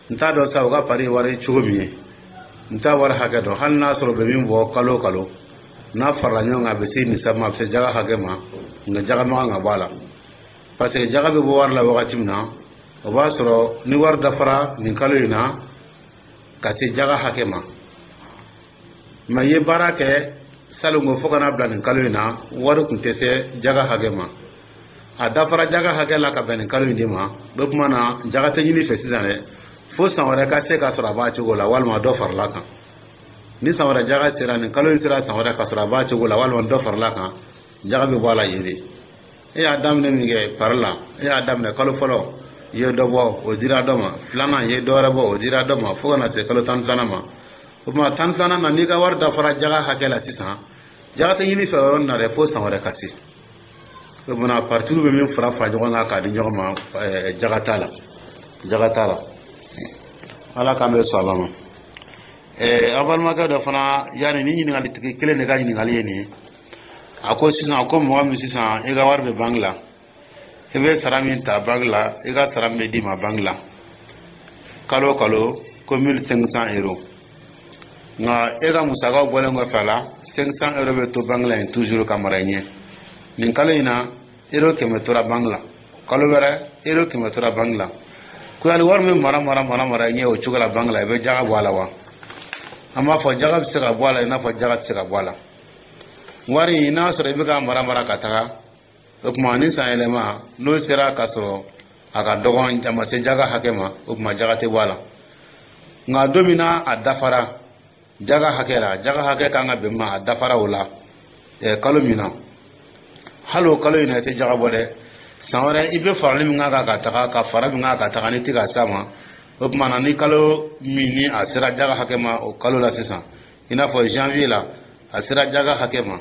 n t'a dɔn sa u ka pari wari cogo min ye, n t'a wari hakɛ dɔn. Hali n'a sɔrɔ u bɛ min bɔ kalo o kalo, n'a farala ɲɔgɔn kan, a bɛ se nisabu ma, a bɛ se jaga hakɛ ma, nka jaga man kan ka bɔ a la, parce que jaga bɛ bɔ wari la wagati min na, o b'a sɔrɔ ni wari dafara nin kalo in na ka se jaga hakɛ ma. Mais i ye baara kɛ salon fo ka n'a bila nin kalo in na, wari tun tɛ se jaga hakɛ ma. A dafara jaga hakɛ la ka bɛn nin kalo in de ma. O tuma na, jaga tɛ ɲini fɛ sisan dɛ, fo san wɛrɛ ka se k'a sɔrɔ a b'a cogo la walima dɔ farala kan. Ni san wɛrɛ jaga sera, nin kalo in sera san wɛrɛ ka sɔrɔ a b'a cogo la walima dɔ farala kan, jaga bɛ bɔ a la yen de. E y'a daminɛ min kɛ pari la, e y'a daminɛ kalo fɔlɔ, i ye dɔ bɔ, o dira dɔ ma. Filanan, i ye dɔ wɛrɛ bɔ, o dira dɔ ma, fo ka na se kalo tan ni filanan ma. O tuma tan ni filanan na, n'i ka wari dafara jaga hakɛ la sisan, jaga tɛ ɲini fɛ yɔrɔ nin na dɛ, fo san wɛrɛ ka se. O tuma paritiw bɛ min fara fara ɲɔgɔn kan k'a di ɲɔgɔn ma, jaga t'a la, jaga t'a la. Ala k'an bɛ sɔn a ma. Ɛɛ an balimakɛ dɔ fana, yanni ni ɲininkali tigi kelen de ka ɲininkali ye nin ye. A ko sisan ko mɔgɔ min sisan i ka wari bɛ banque la, i bɛ sara min ta banque la, i ka sara min bɛ d'i ma banque la kalo o kalo, ko mille cinq cents euros, nka e ka musakaw bɔlen kɔfɛ a la, cinq cents euros bɛ to banque la yen toujours ka mara i ɲɛ. Nin kalo in na, euro kɛmɛ tora banque la, kalo wɛrɛ, euro kɛmɛ tora banque la. Ko yali wari min mara mara mara mara i ɲɛ o cogo la banque la, i bɛ jaga bɔ a la wa? An b'a fɔ jaga bɛ se ka bɔ a la i n'a fɔ jaga tɛ se ka bɔ a la. Wari in, n'a sɔrɔ i bɛ ka mara mara ka taga, o tuma ni san yɛlɛma n'o sera ka sɔrɔ a ka dɔgɔn, a ma se jaga hakɛ ma, o tuma jaga tɛ bɔ a la. Nka don min na a dafara jaga hakɛ la, jaga hakɛ kan ka bɛn ma, a dafara o la kalo min na, hali o kalo in na, i tɛ jaga bɔ dɛ. San wɛrɛ, i bɛ farali min k'a kan ka taga, ka fara min k'a kan ka taga, n'i tɛ ka s'a ma, o tuma na ni kalo min ni a sera jaga hakɛ ma o kalo la sisan, i n'a fɔ janvier la, a sera jaga hakɛ ma,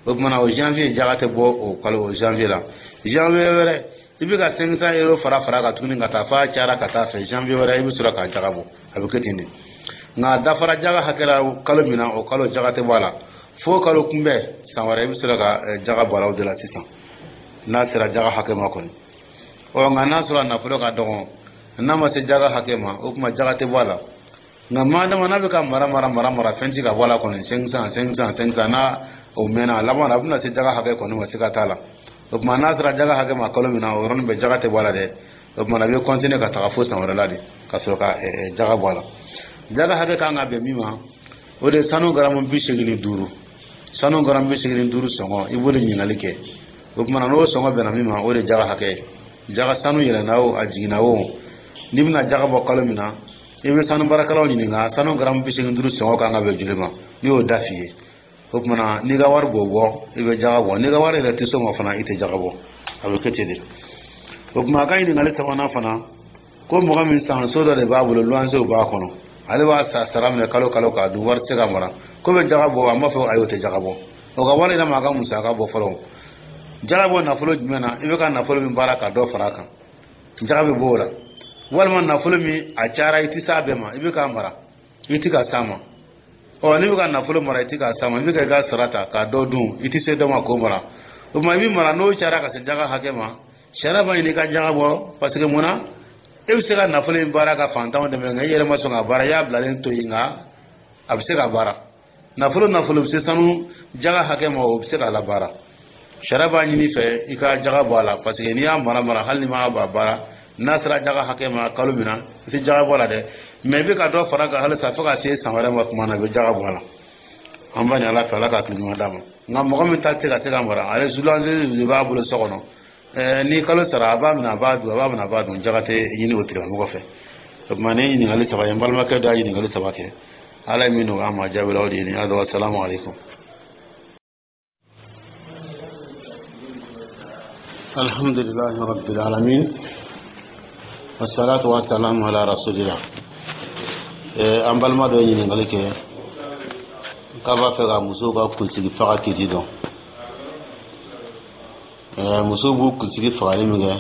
o tuma na o janvier jaga tɛ bɔ o kalo, o janvier la. Janvier wɛrɛ, i bɛ ka cinq cents euros fara fara kan tuguni ka taa f'a cayara ka taa fɛ, janvier wɛrɛ, i bɛ sɔrɔ ka jaga bɔ. A bɛ kɛ ten de. Nka a dafara jaga hakɛ la kalo min na, o kalo jaga tɛ bɔ a la fo kalo kunbɛn san wɛrɛ, i bɛ sɔrɔ ka jaga bɔ a la o de la sisan, n'a sera jaga hakɛ ma kɔni. Ɔ, nka n'a sɔrɔ a nafolo ka dɔgɔn, n'a ma se jaga hakɛ ma, o tuma jaga tɛ bɔ a la. Nka madama n'a bɛ ka mara mara mara mara, fɛn ti ka bɔ a la kɔni, cinq cents, cinq cents, cinq cents, n'a o mɛnna, a laban na a bɛna se jaga hakɛ kɔni ma, siga t'a la. O tuma n'a sera jaga hakɛ ma kalo min na, o yɔrɔnin bɛɛ jaga tɛ bɔ a la dɛ. O tuma a bɛ continuer ka taga fo san wɛrɛ la de ka sɔrɔ ka jaga bɔ a la. Jaga hakɛ kan ka bɛn min ma, o de ye sanu garamu bi seegin ni duuru. Sanu garamu bi seegin ni duuru sɔngɔ, i b'o de ɲininkali kɛ. O tuma n'o sɔngɔ bɛnna min ma, o de ye jaga hakɛ ye. Jaga sanu yɛlɛnna o, a jiginna o, n'i bɛna jaga bɔ kalo min na, i bɛ sanu baarakɛlaw ɲininka sanu garamu bi seegin duuru sɔngɔ kan ka bɛn joli ma. N'i y'o da f'i ye, o tuma na n'i ka wari b'o bɔ, i bɛ jaga bɔ. N'i ka wari yɛrɛ tɛ s'o ma fana, i tɛ jaga bɔ. A bɛ kɛ ten de. O tuma a ka ɲininkali sabanan fana, ko mɔgɔ min san so dɔ de b'a bolo, luwansew b'a kɔnɔ, ale b'a sara minɛ kalo kalo k'a dun, wari tɛ se ka mara, ko bɛ jaga bɔ? An b'a fɔ ayi, o tɛ jaga bɔ. O ka wari yɛrɛ ma, a ka musaka bɔ fɔlɔ. Jaga bɔ nafolo jumɛn na? I bɛ ka nafolo min baara ka dɔ fara a kan, jaga bɛ bɔ o la. Walima nafolo min a cayara, i tɛ s'a bɛɛ ma, i bɛ k'a mara, i tɛ ka s'a ma. Ɔ, n'i bɛ ka nafolo mara, i tɛ k'a s'a ma, i bɛ ka i ka sara ta k'a dɔ dun, i tɛ se dɔ ma k'o mara, o tuma i bɛ mara, n'o cayara ka se jaga hakɛ ma, sariya b'a ɲini i ka jaga bɔ. Parce que mun na? E bɛ se ka nafolo in baara ka fantanw dɛmɛ, nka i yɛrɛ ma sɔn ka baara, i y'a bilalen to yen. Nka a bɛ se ka baara. Nafolo nafolo bɛ se sanu jaga hakɛ ma, o bɛ se k'a labaara. Sariya b'a ɲini fɛ i ka jaga bɔ a la, parce que n'i y'a mara mara, hali ni m'a baara, n'a sera jaga hakɛ ma kalo min na, i tɛ jaga bɔ a la dɛ, mais i bɛ ka dɔ fara kan halisa fo ka se san wɛrɛ ma. Tuma na i bɛ jaga bɔ a la. An b'a ɲini Ala fɛ, Ala ka hakili ɲuman d'a ma. Nka mɔgɔ min ta tɛ se ka se ka mara, ale luwanse de b'a bolo so kɔnɔ, ɛɛ ni kalo sara, a b'a minɛ, a b'a dun, a b'a minɛ, a b'a dun, jaga tɛ ɲini o tigilamɔgɔ fɛ. O tuma ni ɲininkali saba ye, n balimakɛ dɔ y'a ɲininkali saba kɛ, Ala ye min nɔgɔya an ma, jaabi la, o de ye nin ye. Asalamu aleykum. الحمد لله رب العالمين والصلاة والسلام على رسول الله. An balima dɔ ye ɲininkali kɛ k'a b'a fɛ ka musow ka kunsigi faga kiti dɔn. Musow b'u kunsigi fagali min kɛ,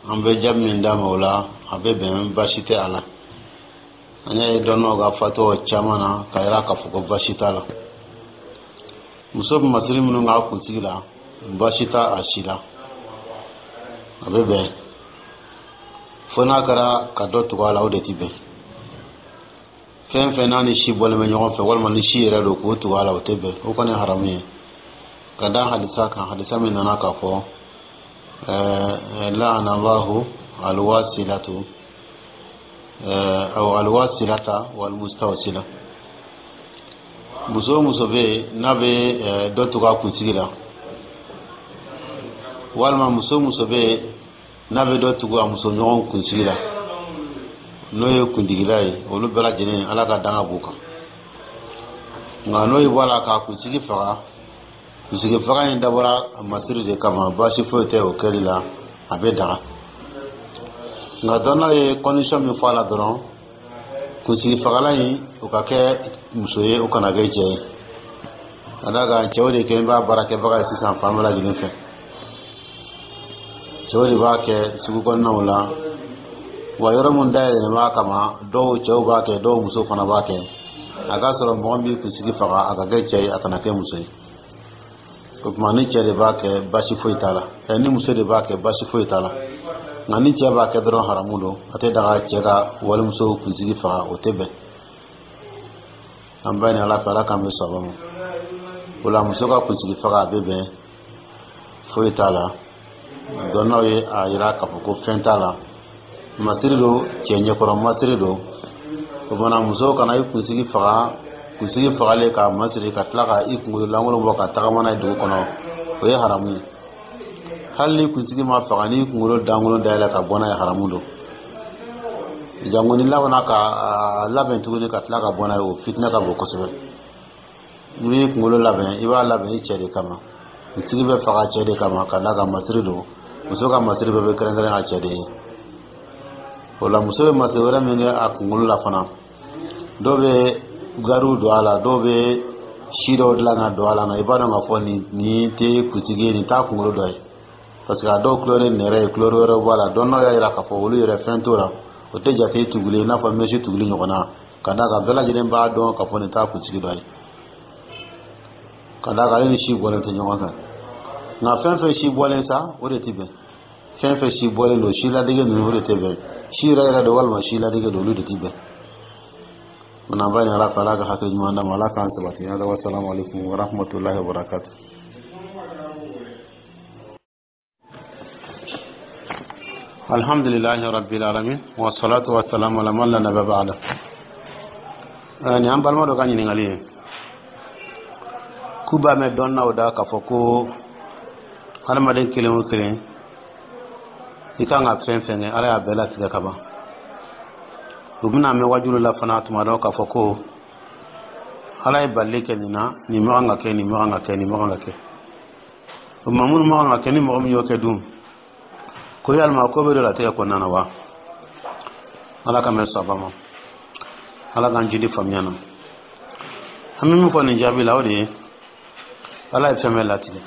an bɛ jaabi min d'a ma o la, a bɛ bɛn, baasi tɛ a la. An y'a ye dɔnnaw ka fatɔ caman na k'a yira k'a fɔ ko baasi t'a la. Muso bɛ masiri minnu k'a kunsigi la, baasi t'a a si la, a bɛ bɛn, fo n'a kɛra ka dɔ tugu a la, o de ti bɛn. Fɛn fɛn n'a ni si bɔlen bɛ ɲɔgɔn fɛ, walima ni si yɛrɛ don, k'o tugu a la, o tɛ bɛn, o kɔni ye haramu ye. Ka da hadisa kan, hadisa min nana k'a fɔ لعن الله الواصلة أو الواصلة والمستوصلة. Muso o muso bɛ yen n'a bɛ dɔ tugu a kunsigi la, walima muso o muso bɛ yen n'a bɛ dɔ tugu a muso ɲɔgɔn kunsigi la, n'o ye kuntigila ye, olu bɛɛ lajɛlen, Ala ka danga b'u kan. Nka n'o ye bɔ a la k'a kunsigi faga, kunsigi faga in dabɔra masiri de kama, baasi foyi tɛ o kɛli la, a bɛ daga. Nka dɔnnaw ye condition min fɔ a la dɔrɔn, kunsigi fagalan in, o ka kɛ muso ye, o kana kɛ cɛ ye, ka d'a kan cɛw de kɛ b'a baarakɛbaga ye sisan fan bɛɛ lajɛlen fɛ. Cɛw de b'a kɛ sugu kɔnɔnaw la wa, yɔrɔ min dayɛlɛlen b'a kama, dɔw cɛw b'a kɛ, dɔw muso fana b'a kɛ. A k'a sɔrɔ mɔgɔ min b'i kunsigi faga, a ka kɛ cɛ ye, a kana kɛ muso ye. O tuma ni cɛ de b'a kɛ, baasi foyi t'a la. Ɛ, ni muso de b'a kɛ, baasi foyi t'a la. Nka ni cɛ b'a kɛ dɔrɔn, haramu don, a tɛ daga cɛ ka walimuso kunsigi faga, o tɛ bɛn. An b'a ɲini Ala fɛ, Ala k'an bɛ sɔn ma. O la, muso ka kunsigi faga, a bɛ bɛn, foyi t'a la. Dɔnnaw ye a yira k'a fɔ ko fɛn t'a la, masiri don, cɛ ɲɛkɔrɔ masiri don. O fana, muso kana i kunsigi faga, kunsigi fagalen k'a masiri, ka tila ka i kunkolo lankolon bɔ ka tagama n'a ye dugu kɔnɔ, o ye haramu ye. Hali ni kunsigi ma faga, n'i kunkolo dankolon dayɛlɛ ka bɔ n'a ye, haramu don. Jango ni labanna ka labɛn tuguni ka tila ka bɔ n'a ye, o fitinɛ ka bon kosɛbɛ. N'i b'i kunkolo labɛn, i b'a labɛn i cɛ de kama. Kunsigi bɛ faga cɛ de kama, ka d'a kan masiri don. Muso ka masiri bɛɛ bɛ kɛrɛnkɛrɛn a cɛ de ye. O la, muso bɛ masiri wɛrɛ min kɛ a kunkolo la fana, dɔw bɛ gariw don a la, dɔw bɛ si dɔw dilan ka don a la, nka i b'a dɔn k'a fɔ nin nin tɛ kunsigi ye, nin t'a kunkolo dɔ ye, parce que a dɔw couleur ye nɛrɛ ye, couleur wɛrɛw b'a la. Dɔnnaw y'a jira k'a fɔ olu yɛrɛ, fɛn t'o la, o tɛ jate tuguli i n'a fɔ mèche tuguli ɲɔgɔnna, ka d'a kan bɛɛ lajɛlen b'a dɔn k'a fɔ nin t'a kunsigi dɔ ye, ka d'a kan ale ni si bɔlen tɛ ɲɔgɔn kan. Nka fɛn fɛn si bɔlen sa, o de tɛ bɛn. Fɛn fɛn si bɔlen don, si ladege ninnu, o de tɛ bɛn. Si yɛrɛ yɛrɛ don walima si ladege don, olu de tɛ bɛn. An b'a ɲini Ala fɛ, Ala ka hakili ɲuman d'an ma, Ala k'an sabati. Wasalamu alaikum warahmatullahi wabarakatuh. Alhamdulillahi rabbil alamin, wassalatu wassalamu ala man la nabiyya ba'da. Nin an balima dɔ ka ɲininkali ye k'u b'a mɛn dɔnnaw da k'a fɔ ko hadamaden kelen o kelen, i kan ka fɛn fɛn kɛ, Ala y'a bɛɛ latigɛ ka ban. U bɛna mɛn wajulu la fana tuma dɔ k'a fɔ ko Ala ye balili kɛ nin na, nin man kan ka kɛ, nin man kan ka kɛ, nin man kan ka kɛ. O tuma, minnu man kan ka kɛ, ni mɔgɔ min y'o kɛ dun, ko yalima ko bɛ don latigɛ kɔnɔna na wa? Ala ka mɛn saba ma, Ala k'an jidi faamuya na. An bɛ min fɔ nin jaabi la, o de ye Ala ye fɛn bɛɛ latigɛ,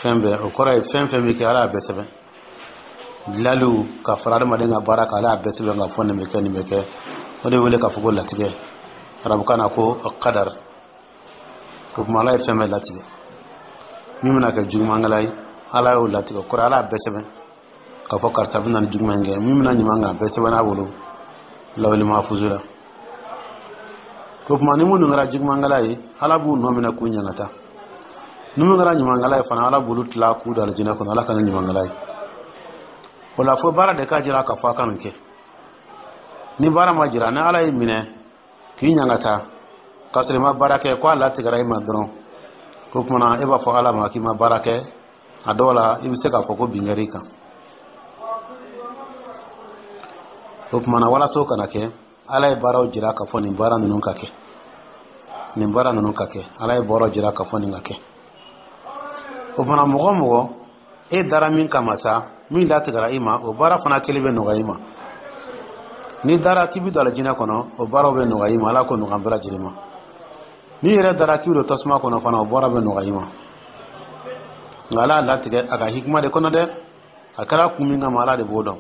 fɛn bɛɛ. O kɔrɔ ye fɛn fɛn bɛ kɛ, Ala y'a bɛɛ sɛbɛn. Dilaliw ka fara adamaden ka baara kan, Ala y'a bɛɛ sɛbɛn ka fɔ nin bɛ kɛ, nin bɛ kɛ. O de wele k'a fɔ ko latigɛ, arabukan na ko kadar. O tuma, Ala ye fɛn bɛɛ latigɛ. Min bɛna kɛ jugumankɛla ye, Ala y'o latigɛ. Kɔrɔ, Ala y'a bɛɛ sɛbɛn k'a fɔ karisa bɛna ni juguman kɛ. Min bɛna ɲuman kɛ, a bɛɛ sɛbɛn n'a bolo lawuli mafuzu la. O tuma, ni minnu kɛra jugumankɛla ye, Ala b'u nɔ minɛ k'u ɲangata. Ni minnu kɛra ɲumankɛla ye fana, Ala b'olu tila k'u don alijinɛ kɔnɔ. Ala kana ɲumankɛla ye. O la, fo baara de ka jira k'a fɔ a ka nin kɛ. Ni baara ma jira, ni Ala y'i minɛ k'i ɲangata k'a sɔrɔ i ma baara kɛ, ko a latigɛra i ma dɔrɔn, o tuma e b'a fɔ Ala ma k'i ma baara kɛ. A dɔw la, i bɛ se k'a fɔ ko bin kɛra i kan. O tuma na, walasa o kana kɛ, Ala ye baaraw jira k'a fɔ nin baara ninnu ka kɛ, nin baara ninnu ka kɛ. Ala ye baaraw jira k'a fɔ nin ka kɛ. O fana, mɔgɔ mɔgɔ e dara min kama sa, min latigɛra i ma, o baara fana kelen bɛ nɔgɔya i ma. N'i dara k'i bɛ don alijinɛ kɔnɔ, o baaraw bɛ nɔgɔya i ma. Ala k'o nɔgɔya an bɛɛ lajɛlen ma. N'i yɛrɛ dara k'i bɛ don tasuma kɔnɔ fana, o baara bɛ nɔgɔya i ma. Nka Ala y'a latigɛ a ka hikima de kɔnɔ dɛ. A kɛra kun min kama, Ala de b'o dɔn.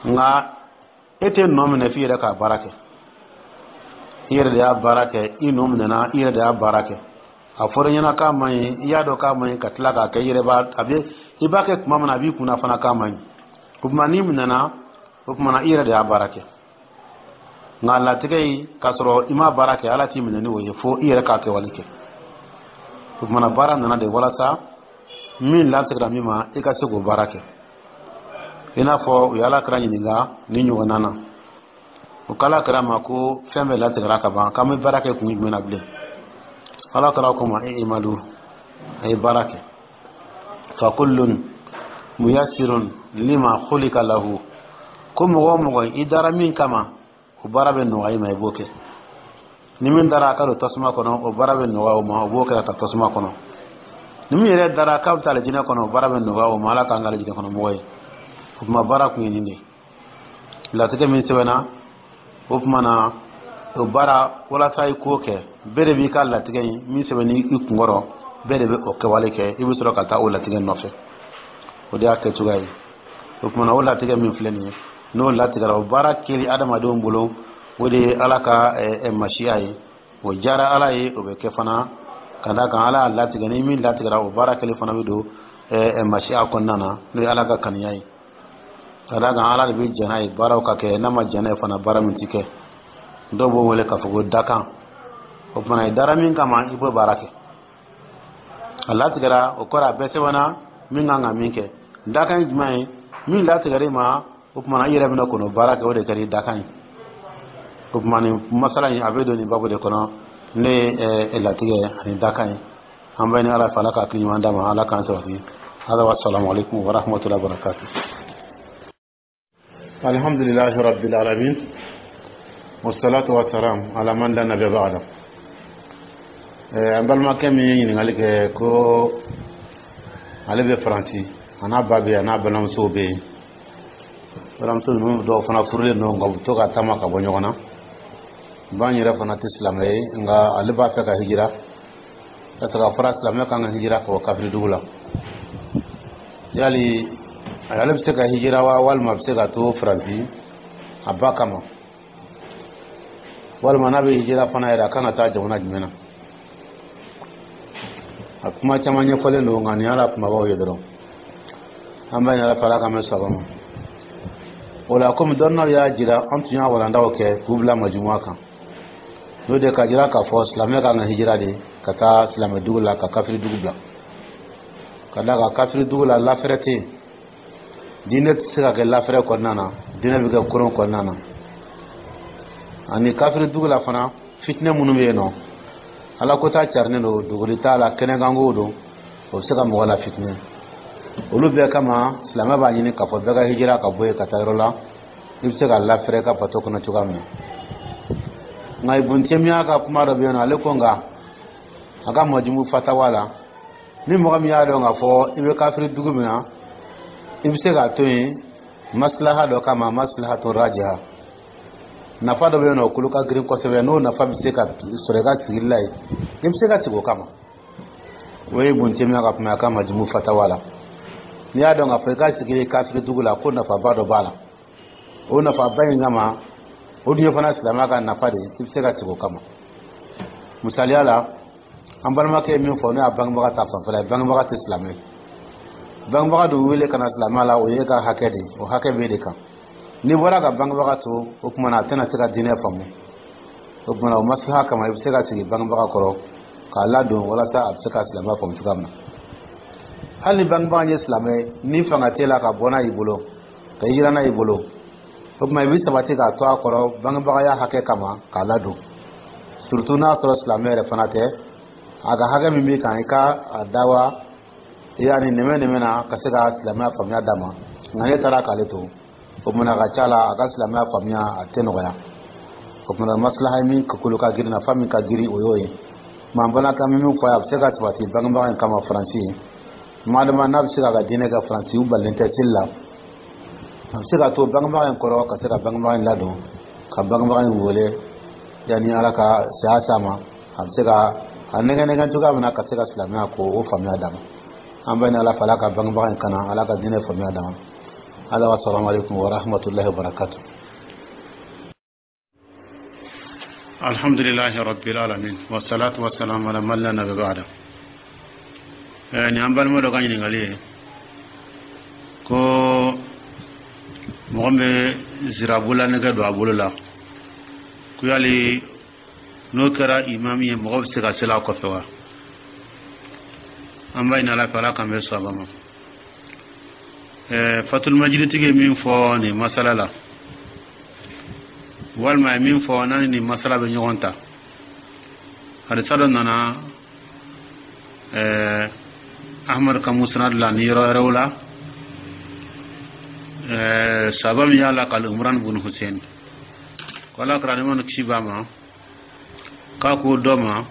Nka e tɛ nɔ minɛ f'i yɛrɛ k'a baara kɛ. I yɛrɛ de y'a baara kɛ, i nɔ minɛna, i yɛrɛ de y'a baara kɛ. A fɔra i ɲɛna k'a man ɲi, i y'a dɔn k'a man ɲi, ka tila k'a kɛ. I yɛrɛ b'a a bɛ i b'a kɛ tuma min na, a b'i kunna fana k'a man ɲi. O tuma n'i minɛna, o tuma na i yɛrɛ de y'a baara kɛ. Nka latigɛ yi, k'a sɔrɔ i ma baara kɛ, Ala t'i minɛ ni o ye, fo i yɛrɛ k'a kɛwale kɛ. O tuma na baara nana de walasa min latigɛra min ma, i ka se k'o baara kɛ. I n'a fɔ u ye Ala kira ɲininka ni ɲɔgɔnna na, o k'Ala kira ma ko fɛn bɛɛ latigɛra ka ban, k'an bɛ baara kɛ kun jumɛn na bilen? Ala kira ko ma: i'malu, a ye baara kɛ, fa kullun muyassirun lima khuliqa lahu. Ko mɔgɔ o mɔgɔ i dara min kama, o baara bɛ nɔgɔya i ma, i b'o kɛ. Ni min dara a ka don tasuma kɔnɔ, o baara bɛ nɔgɔya o ma, o b'o kɛ ka taa tasuma kɔnɔ. Ni min yɛrɛ dara k'a bɛ taa alijinɛ kɔnɔ, o baara bɛ nɔgɔya o ma. Ala k'an kɛ alijinɛ kɔnɔ mɔgɔ ye. O tuma baara kun ye nin de ye. Latigɛ min sɛbɛnna, o tuma na o baara walasa i k'o kɛ, bɛɛ de b'i ka latigɛ in min sɛbɛn i kunkɔrɔ, bɛɛ de bɛ o kɛwale kɛ. I bɛ sɔrɔ ka taa o latigɛ nɔfɛ. O de y'a kɛcogoya ye. O tuma na o latigɛ min filɛ nin ye, n'o latigɛra, o baara kɛli adamadenw bolo, o de ye Ala ka masiya ye. O diyara Ala ye, o bɛ kɛ fana. Ka d'a kan Ala y'a latigɛ, ni min latigɛra, o baara kɛli fana bɛ don masiya kɔnɔna na, n'o ye Ala ka kanuya ye. Ka d'a kan Ala de bɛ jɛn n'a ye baaraw ka kɛ, n'a ma jɛn n'a ye fana, baara min ti kɛ. Dɔw b'o wele k'a fɔ ko dakan. O tuma i dara min kama, i b'o baara kɛ. A latigɛra, o kɔrɔ a bɛɛ sɛbɛnna min kan ka min kɛ. Dakan ye jumɛn ye? Min latigɛra i ma, o tuma i yɛrɛ bɛna kɔnɔ baara kɛ, o de kɛra i dakan ye. O tuma nin masala in, a bɛ don nin babu de kɔnɔ, ne ye latigɛ ani dakan ye. An bɛ ni Ala fɛ, Ala ka hakili ɲuman d'a ma, Ala k'an sabati. Hada wa salamu alaikum wa rahmatullahi wa barakatuh. Alhamdulillahi rabbil alamin, wassalatu wassalam ala man la nabiyya ba'da. An balimakɛ min ye ɲininkali kɛ ko ale bɛ Faransi, a n'a ba bɛ yen, a n'a balimamusow bɛ yen. Balimamuso ninnu dɔw fana furulen don, nka u bɛ to ka taama ka bɔ ɲɔgɔn na. Ba yɛrɛ fana tɛ silamɛ ye, nka ale b'a fɛ ka hijira, parce que a fɔra silamɛ kan ka hijira ka bɔ kafiri dugu la. Yali ale bɛ se ka hijira wa, walima a bɛ se ka to Faransi a ba kama, walima n'a bɛ hijira fana yɛrɛ, a kan ka taa jamana jumɛn na? A kuma caman ɲɛfɔlen don, nka nin y'a la kumabaw ye dɔrɔn. An b'a ɲini Ala fɛ, Ala k'an bɛ saba ma. O la, komi dɔnniyaw y'a jira, an tun y'a walandaw kɛ k'u bila majumua kan, n'o de ka jira k'a fɔ silamɛ kan ka hijira de ka taa silamɛ dugu la, ka kafiri dugu bila. Ka d'a kan kafiri dugu la, lafɛrɛ tɛ yen. Diinɛ tɛ se ka kɛ lafɛrɛ kɔnɔna na, diinɛ bɛ kɛ koron kɔnɔna na. Ani kafiri dugu la fana, fitinɛ minnu bɛ yen nɔ, Ala ko ta carinen don, dogoli t'a la, kɛnɛkanko don, o bɛ se ka mɔgɔ la fitinɛ. Olu bɛɛ kama, silamɛ b'a ɲini k'a fɔ bɛɛ ka hijira ka bɔ yen ka taa yɔrɔ la i bɛ se ka lafɛrɛ ka bato kɔnɔ cogoya min na. Nka Ibun Temiya ka kuma dɔ bɛ yen nɔ, ale ko nka a ka Majumu Fatawa la, ni mɔgɔ min y'a dɔn k'a fɔ i bɛ kafiri dugu min na, i bɛ se k'a to yen maslaha dɔ kama, maslahatu rajiha, nafa dɔ bɛ yen nɔ, o kolo ka girin kosɛbɛ, n'o nafa bɛ se ka sɔrɔ i ka sigili la yen, i bɛ se ka sigi o kama. O ye Ibun Temiya ka kuma ye a ka Majumu Fatawa la. N'i y'a dɔn k'a fɔ i ka sigi kafiri dugu la, ko nafaba dɔ b'a la, o nafaba in kama, o dun ye fana silamɛya ka nafa de ye, i bɛ se ka sigi o kama. Misaliya la, an balimakɛ ye min fɔ, n'o y'a bangebaga ta fanfɛla ye, bangebaga tɛ silamɛ ye. Bangebaga dun wele ka na silamɛya la, o ye ka hakɛ de ye, o hakɛ b'e de kan. N'i bɔra ka bangebaga to, o tuma na a tɛna se ka diinɛ faamu. O tuma na o maslaha kama, i bɛ se ka sigi bangebaga kɔrɔ k'a ladon walasa a bɛ se ka silamɛya faamu cogoya min na. Hali ni bangebaga ye silamɛ ye, ni fanga t'e la ka bɔ n'a y'i bolo, ka hijira n'a y'i bolo, o tuma i bɛ sabati k'a to a kɔrɔ bangebagaya hakɛ kama k'a ladon, surtout n'a sɔrɔ silamɛ yɛrɛ fana tɛ. A ka hakɛ min b'i kan, i ka a dawa yanni nɛmɛ nɛmɛ na ka se ka silamɛya faamuya d'a ma. Nka ne taara k'ale to, o tuma a ka ca la, a ka silamɛya faamuya a tɛ nɔgɔya. O tuma maslaha min kolo ka girin, nafa min ka girin, o y'o ye. Maa balimakɛ min fɔ a ye, a bɛ se ka sabati bangebaga in kama Faransi ye, madama n'a bɛ se k'a ka diinɛ kɛ Faransi, u balilen tɛ seli la. A bɛ se ka to bangebaga in kɔrɔ, ka se ka bangebaga in ladon, ka bangebaga in wele yanni Ala ka saya s'a ma. A bɛ se ka a nɛgɛ nɛgɛ cogoya min na ka se ka silamɛya ko o faamuya d'a ma. An bɛ ni Ala fɛ, Ala ka bangebaga in kana, Ala ka diinɛ faamuya d'a ma. Ala wa salamu alaikum wa rahmatullahi wa barakatuh. Alhamdulillahi rabbil alamin, wassalatu wassalamu ala man la nabiyya ba'da. Ni an balima dɔ ka ɲininkali ye ko mɔgɔ min bɛ zirabola nɛgɛ don a bolo la, ko yali n'o kɛra imami ye, mɔgɔ bɛ se ka seli a kɔfɛ wa? An b'a ɲini Ala fɛ, Ala k'an bɛ sɔn ma. Fatul Majiditigi ye min fɔ nin masala la, walima a ye min fɔ n'a ni nin masala bɛ ɲɔgɔn ta, hadisa dɔ nana Ahmad ka musnad la ni yɔrɔ wɛrɛw la, sahaba min y'a lakali, Umran bun Hussein, ko Ala kɛra ni kisi b'a ma, k'a ko dɔ ma,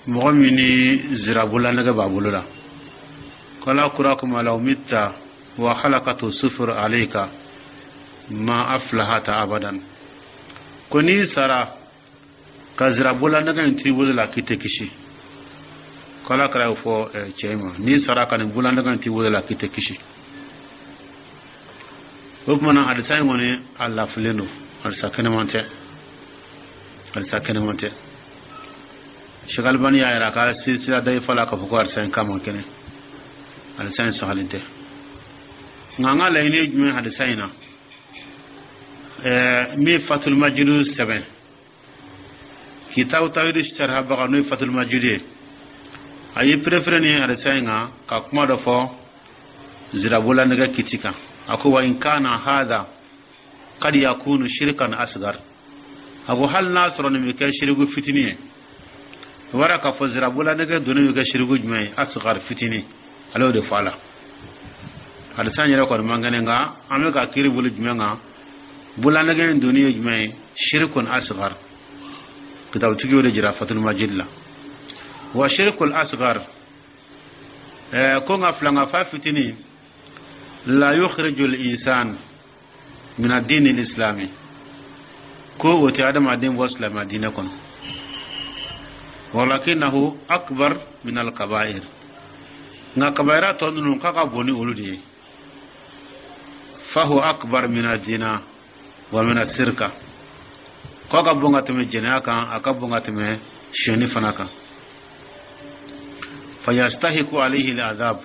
mɔgɔ min ni zirabola nɛgɛ b'a bolo la, ko Ala kura kuma law mitta wa halakatu sufur alayka ma aflahata abadan, ko n'i sara ka zirabola nɛgɛ in t'i bolo la, k'i tɛ kisi. Ko Ala kɛra y'o fɔ cɛ ma, n'i sara ka nin bolola nɛgɛ in t'i bolo la, k'i tɛ kisi. O tuma na, hadisa in kɔni, a lafilen don, hadisa kɛnɛman tɛ, hadisa kɛnɛman tɛ. Sheikh Albani y'a yira ka silsila dayifa la k'a fɔ ko hadisa in k'a man kɛnɛ, hadisa in sɔgɔlen tɛ. Nka an ka laɲini ye jumɛn hadisa in na? Ɛɛ min Fatul Majidu sɛbɛn, kitabu tawhid sharhabaga, n'o ye Fatul Majidu ye, a ye préféré ni hadisa in kan ka kuma dɔ fɔ zirabola nɛgɛ kiti kan. A ko wa in kana hadha kad yakunu shirkan asgar, a ko hali n'a sɔrɔ nin bɛ kɛ shiriku fitinin ye. O b'a k'a fɔ zirabola nɛgɛ donni bɛ kɛ shiriku jumɛn ye? Asgar, fitinin. Ale y'o de fɔ a la. Hadisa in yɛrɛ kɔni man kɛnɛ, nka an bɛ ka kiiri bolo jumɛn kan? Bololanɛgɛ in donni ye jumɛn ye? Shirikun asgar. Kitabutigi y'o de jira Fatul Majid la. Wa shirikul asgar, ɛɛ ko nka filankafa fitinin, la yukhrijul insan min ad-din al-islami, ko o tɛ adamaden bɔ silamɛya diinɛ kɔnɔ, walakinahu akbar min al-kaba'ir, nka kabayira tɔ ninnu, k'a ka bon ni olu de ye. Fahu akbar min ad-dina wa min as-sirka, k'a ka bon ka tɛmɛ jɛnɛya kan, a ka bon ka tɛmɛ sonyɛni fana kan. Fayastahiku alayhi al-adhab,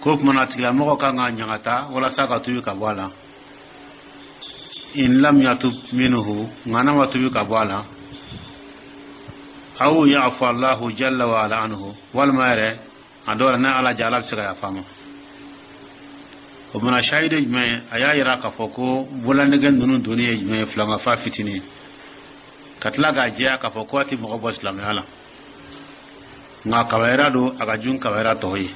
ko tuma na a tigilamɔgɔ kan ka ɲagata walasa ka tubi ka bɔ a la. In lam yatub minhu, nka n'a ma tubi ka bɔ a la, aw yafu Allahu jalla wa ala anhu, walima yɛrɛ a dɔw la, n'a Ala ja, Ala bɛ se ka yafa ma. O mana shahidi jumɛn ye? A y'a yira k'a fɔ ko bololanɛgɛ ninnu donni ye jumɛn ye? Filankafa fitinin. Ka tila k'a jɛya k'a fɔ ko a tɛ mɔgɔ bɔ silamɛya la, nka kabayira don, a ka jun kabayira tɔw ye.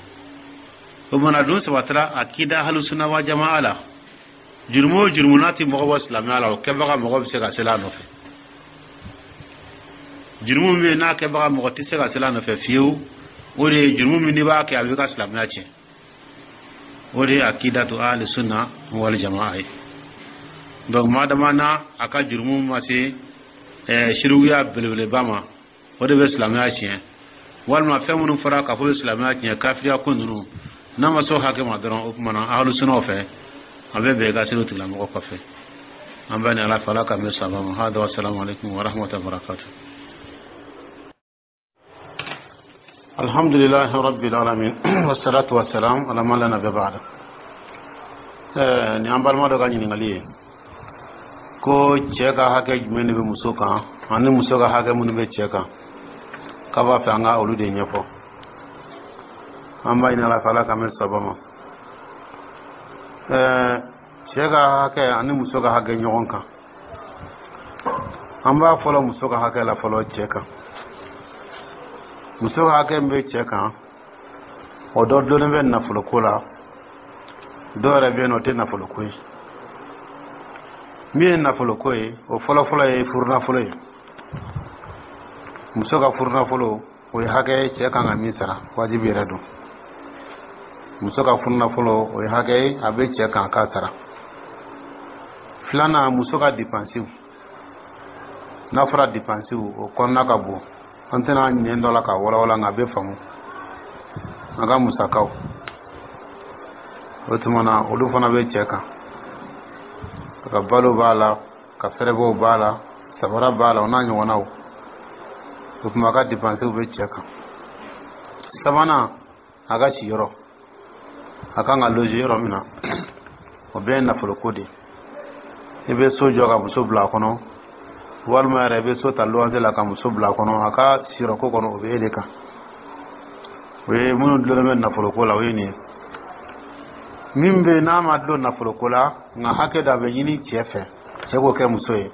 O mana dun sabatira akida ahlusuna wa jamaa la, jurumu o jurumu n'a tɛ mɔgɔ bɔ silamɛya la, o kɛbaga mɔgɔ bɛ se ka seli a nɔfɛ. Jurumu min bɛ yen n'a kɛbaga mɔgɔ tɛ se ka seli a nɔfɛ fiyewu, o de ye jurumu min n'i b'a kɛ, a b'i ka silamɛya tiɲɛ. O de ye akidatu ahli sunna wal jamaa ye. Donc maa dama n'a a ka jurumu ma se ɛɛ sirikuya belebeleba ma, o de bɛ silamɛya tiɲɛ, walima fɛn minnu fɔra k'a fɔ bɛ silamɛya tiɲɛ, kafiriya ko ninnu, n'a ma se o hakɛ ma dɔrɔn, o tuma na ahlu sunnaw fɛ, a bɛ bɛn i ka seli o tigilamɔgɔ kɔfɛ. An bɛ ni Ala fɛ, Ala k'an bɛ saba ma. Hada wa salamu alaikum wa rahmatullahi wa barakatuh. Alhamdulillahi rabbil alamin, wassalatu wassalam ala man la nabiyya ba'da. Ɛɛ ni an balima dɔ ka ɲininkali ye ko cɛ ka hakɛ jumɛn de bɛ muso kan, ani muso ka hakɛ minnu bɛ cɛ kan, k'a b'a fɛ an ka olu de ɲɛfɔ. An b'a ɲini Ala fɛ, Ala k'an bɛ saba ma. Ɛɛ cɛ ka hakɛ ani muso ka hakɛ ɲɔgɔn kan, an b'a fɔlɔ muso ka hakɛ la fɔlɔ cɛ kan. Muso ka hakɛ min bɛ cɛ kan, o dɔ dulonnen bɛ nafoloko la, dɔw yɛrɛ bɛ yen nɔ, o tɛ nafoloko ye. Min ye nafoloko ye, o fɔlɔfɔlɔ ye furunafolo ye. Muso ka furunafolo, o ye hakɛ ye cɛ kan ka min sara, wajibi yɛrɛ don. Muso ka furunafolo, o ye hakɛ ye, a bɛ cɛ kan k'a sara. Filanan, muso ka dipansiw. N'a fɔra dipansiw, o kɔnɔna ka bon, an tɛna ɲɛ dɔ la ka walawala, nka a bɛ faamu. A ka musakaw, o tuma na olu fana bɛ cɛ kan. A ka balo b'a la, ka fɛrɛbɔw b'a la, sabara b'a la, o n'a ɲɔgɔnnaw. O tuma a ka dipansiw bɛ cɛ kan. Sabanan, a ka siyɔrɔ, a kan ka loger yɔrɔ min na, o bɛɛ ye nafoloko de ye. I bɛ so jɔ ka muso bila a kɔnɔ, walima yɛrɛ i bɛ so ta luwanse la ka muso bila a kɔnɔ, a ka siyɔrɔko kɔnɔ, o bɛ e de kan. O ye minnu dulonnen bɛ nafoloko la, o ye nin ye. Min bɛ yen n'a ma dulon nafoloko la, nka hakɛ dɔ a bɛ ɲini cɛ fɛ, cɛ k'o kɛ muso ye,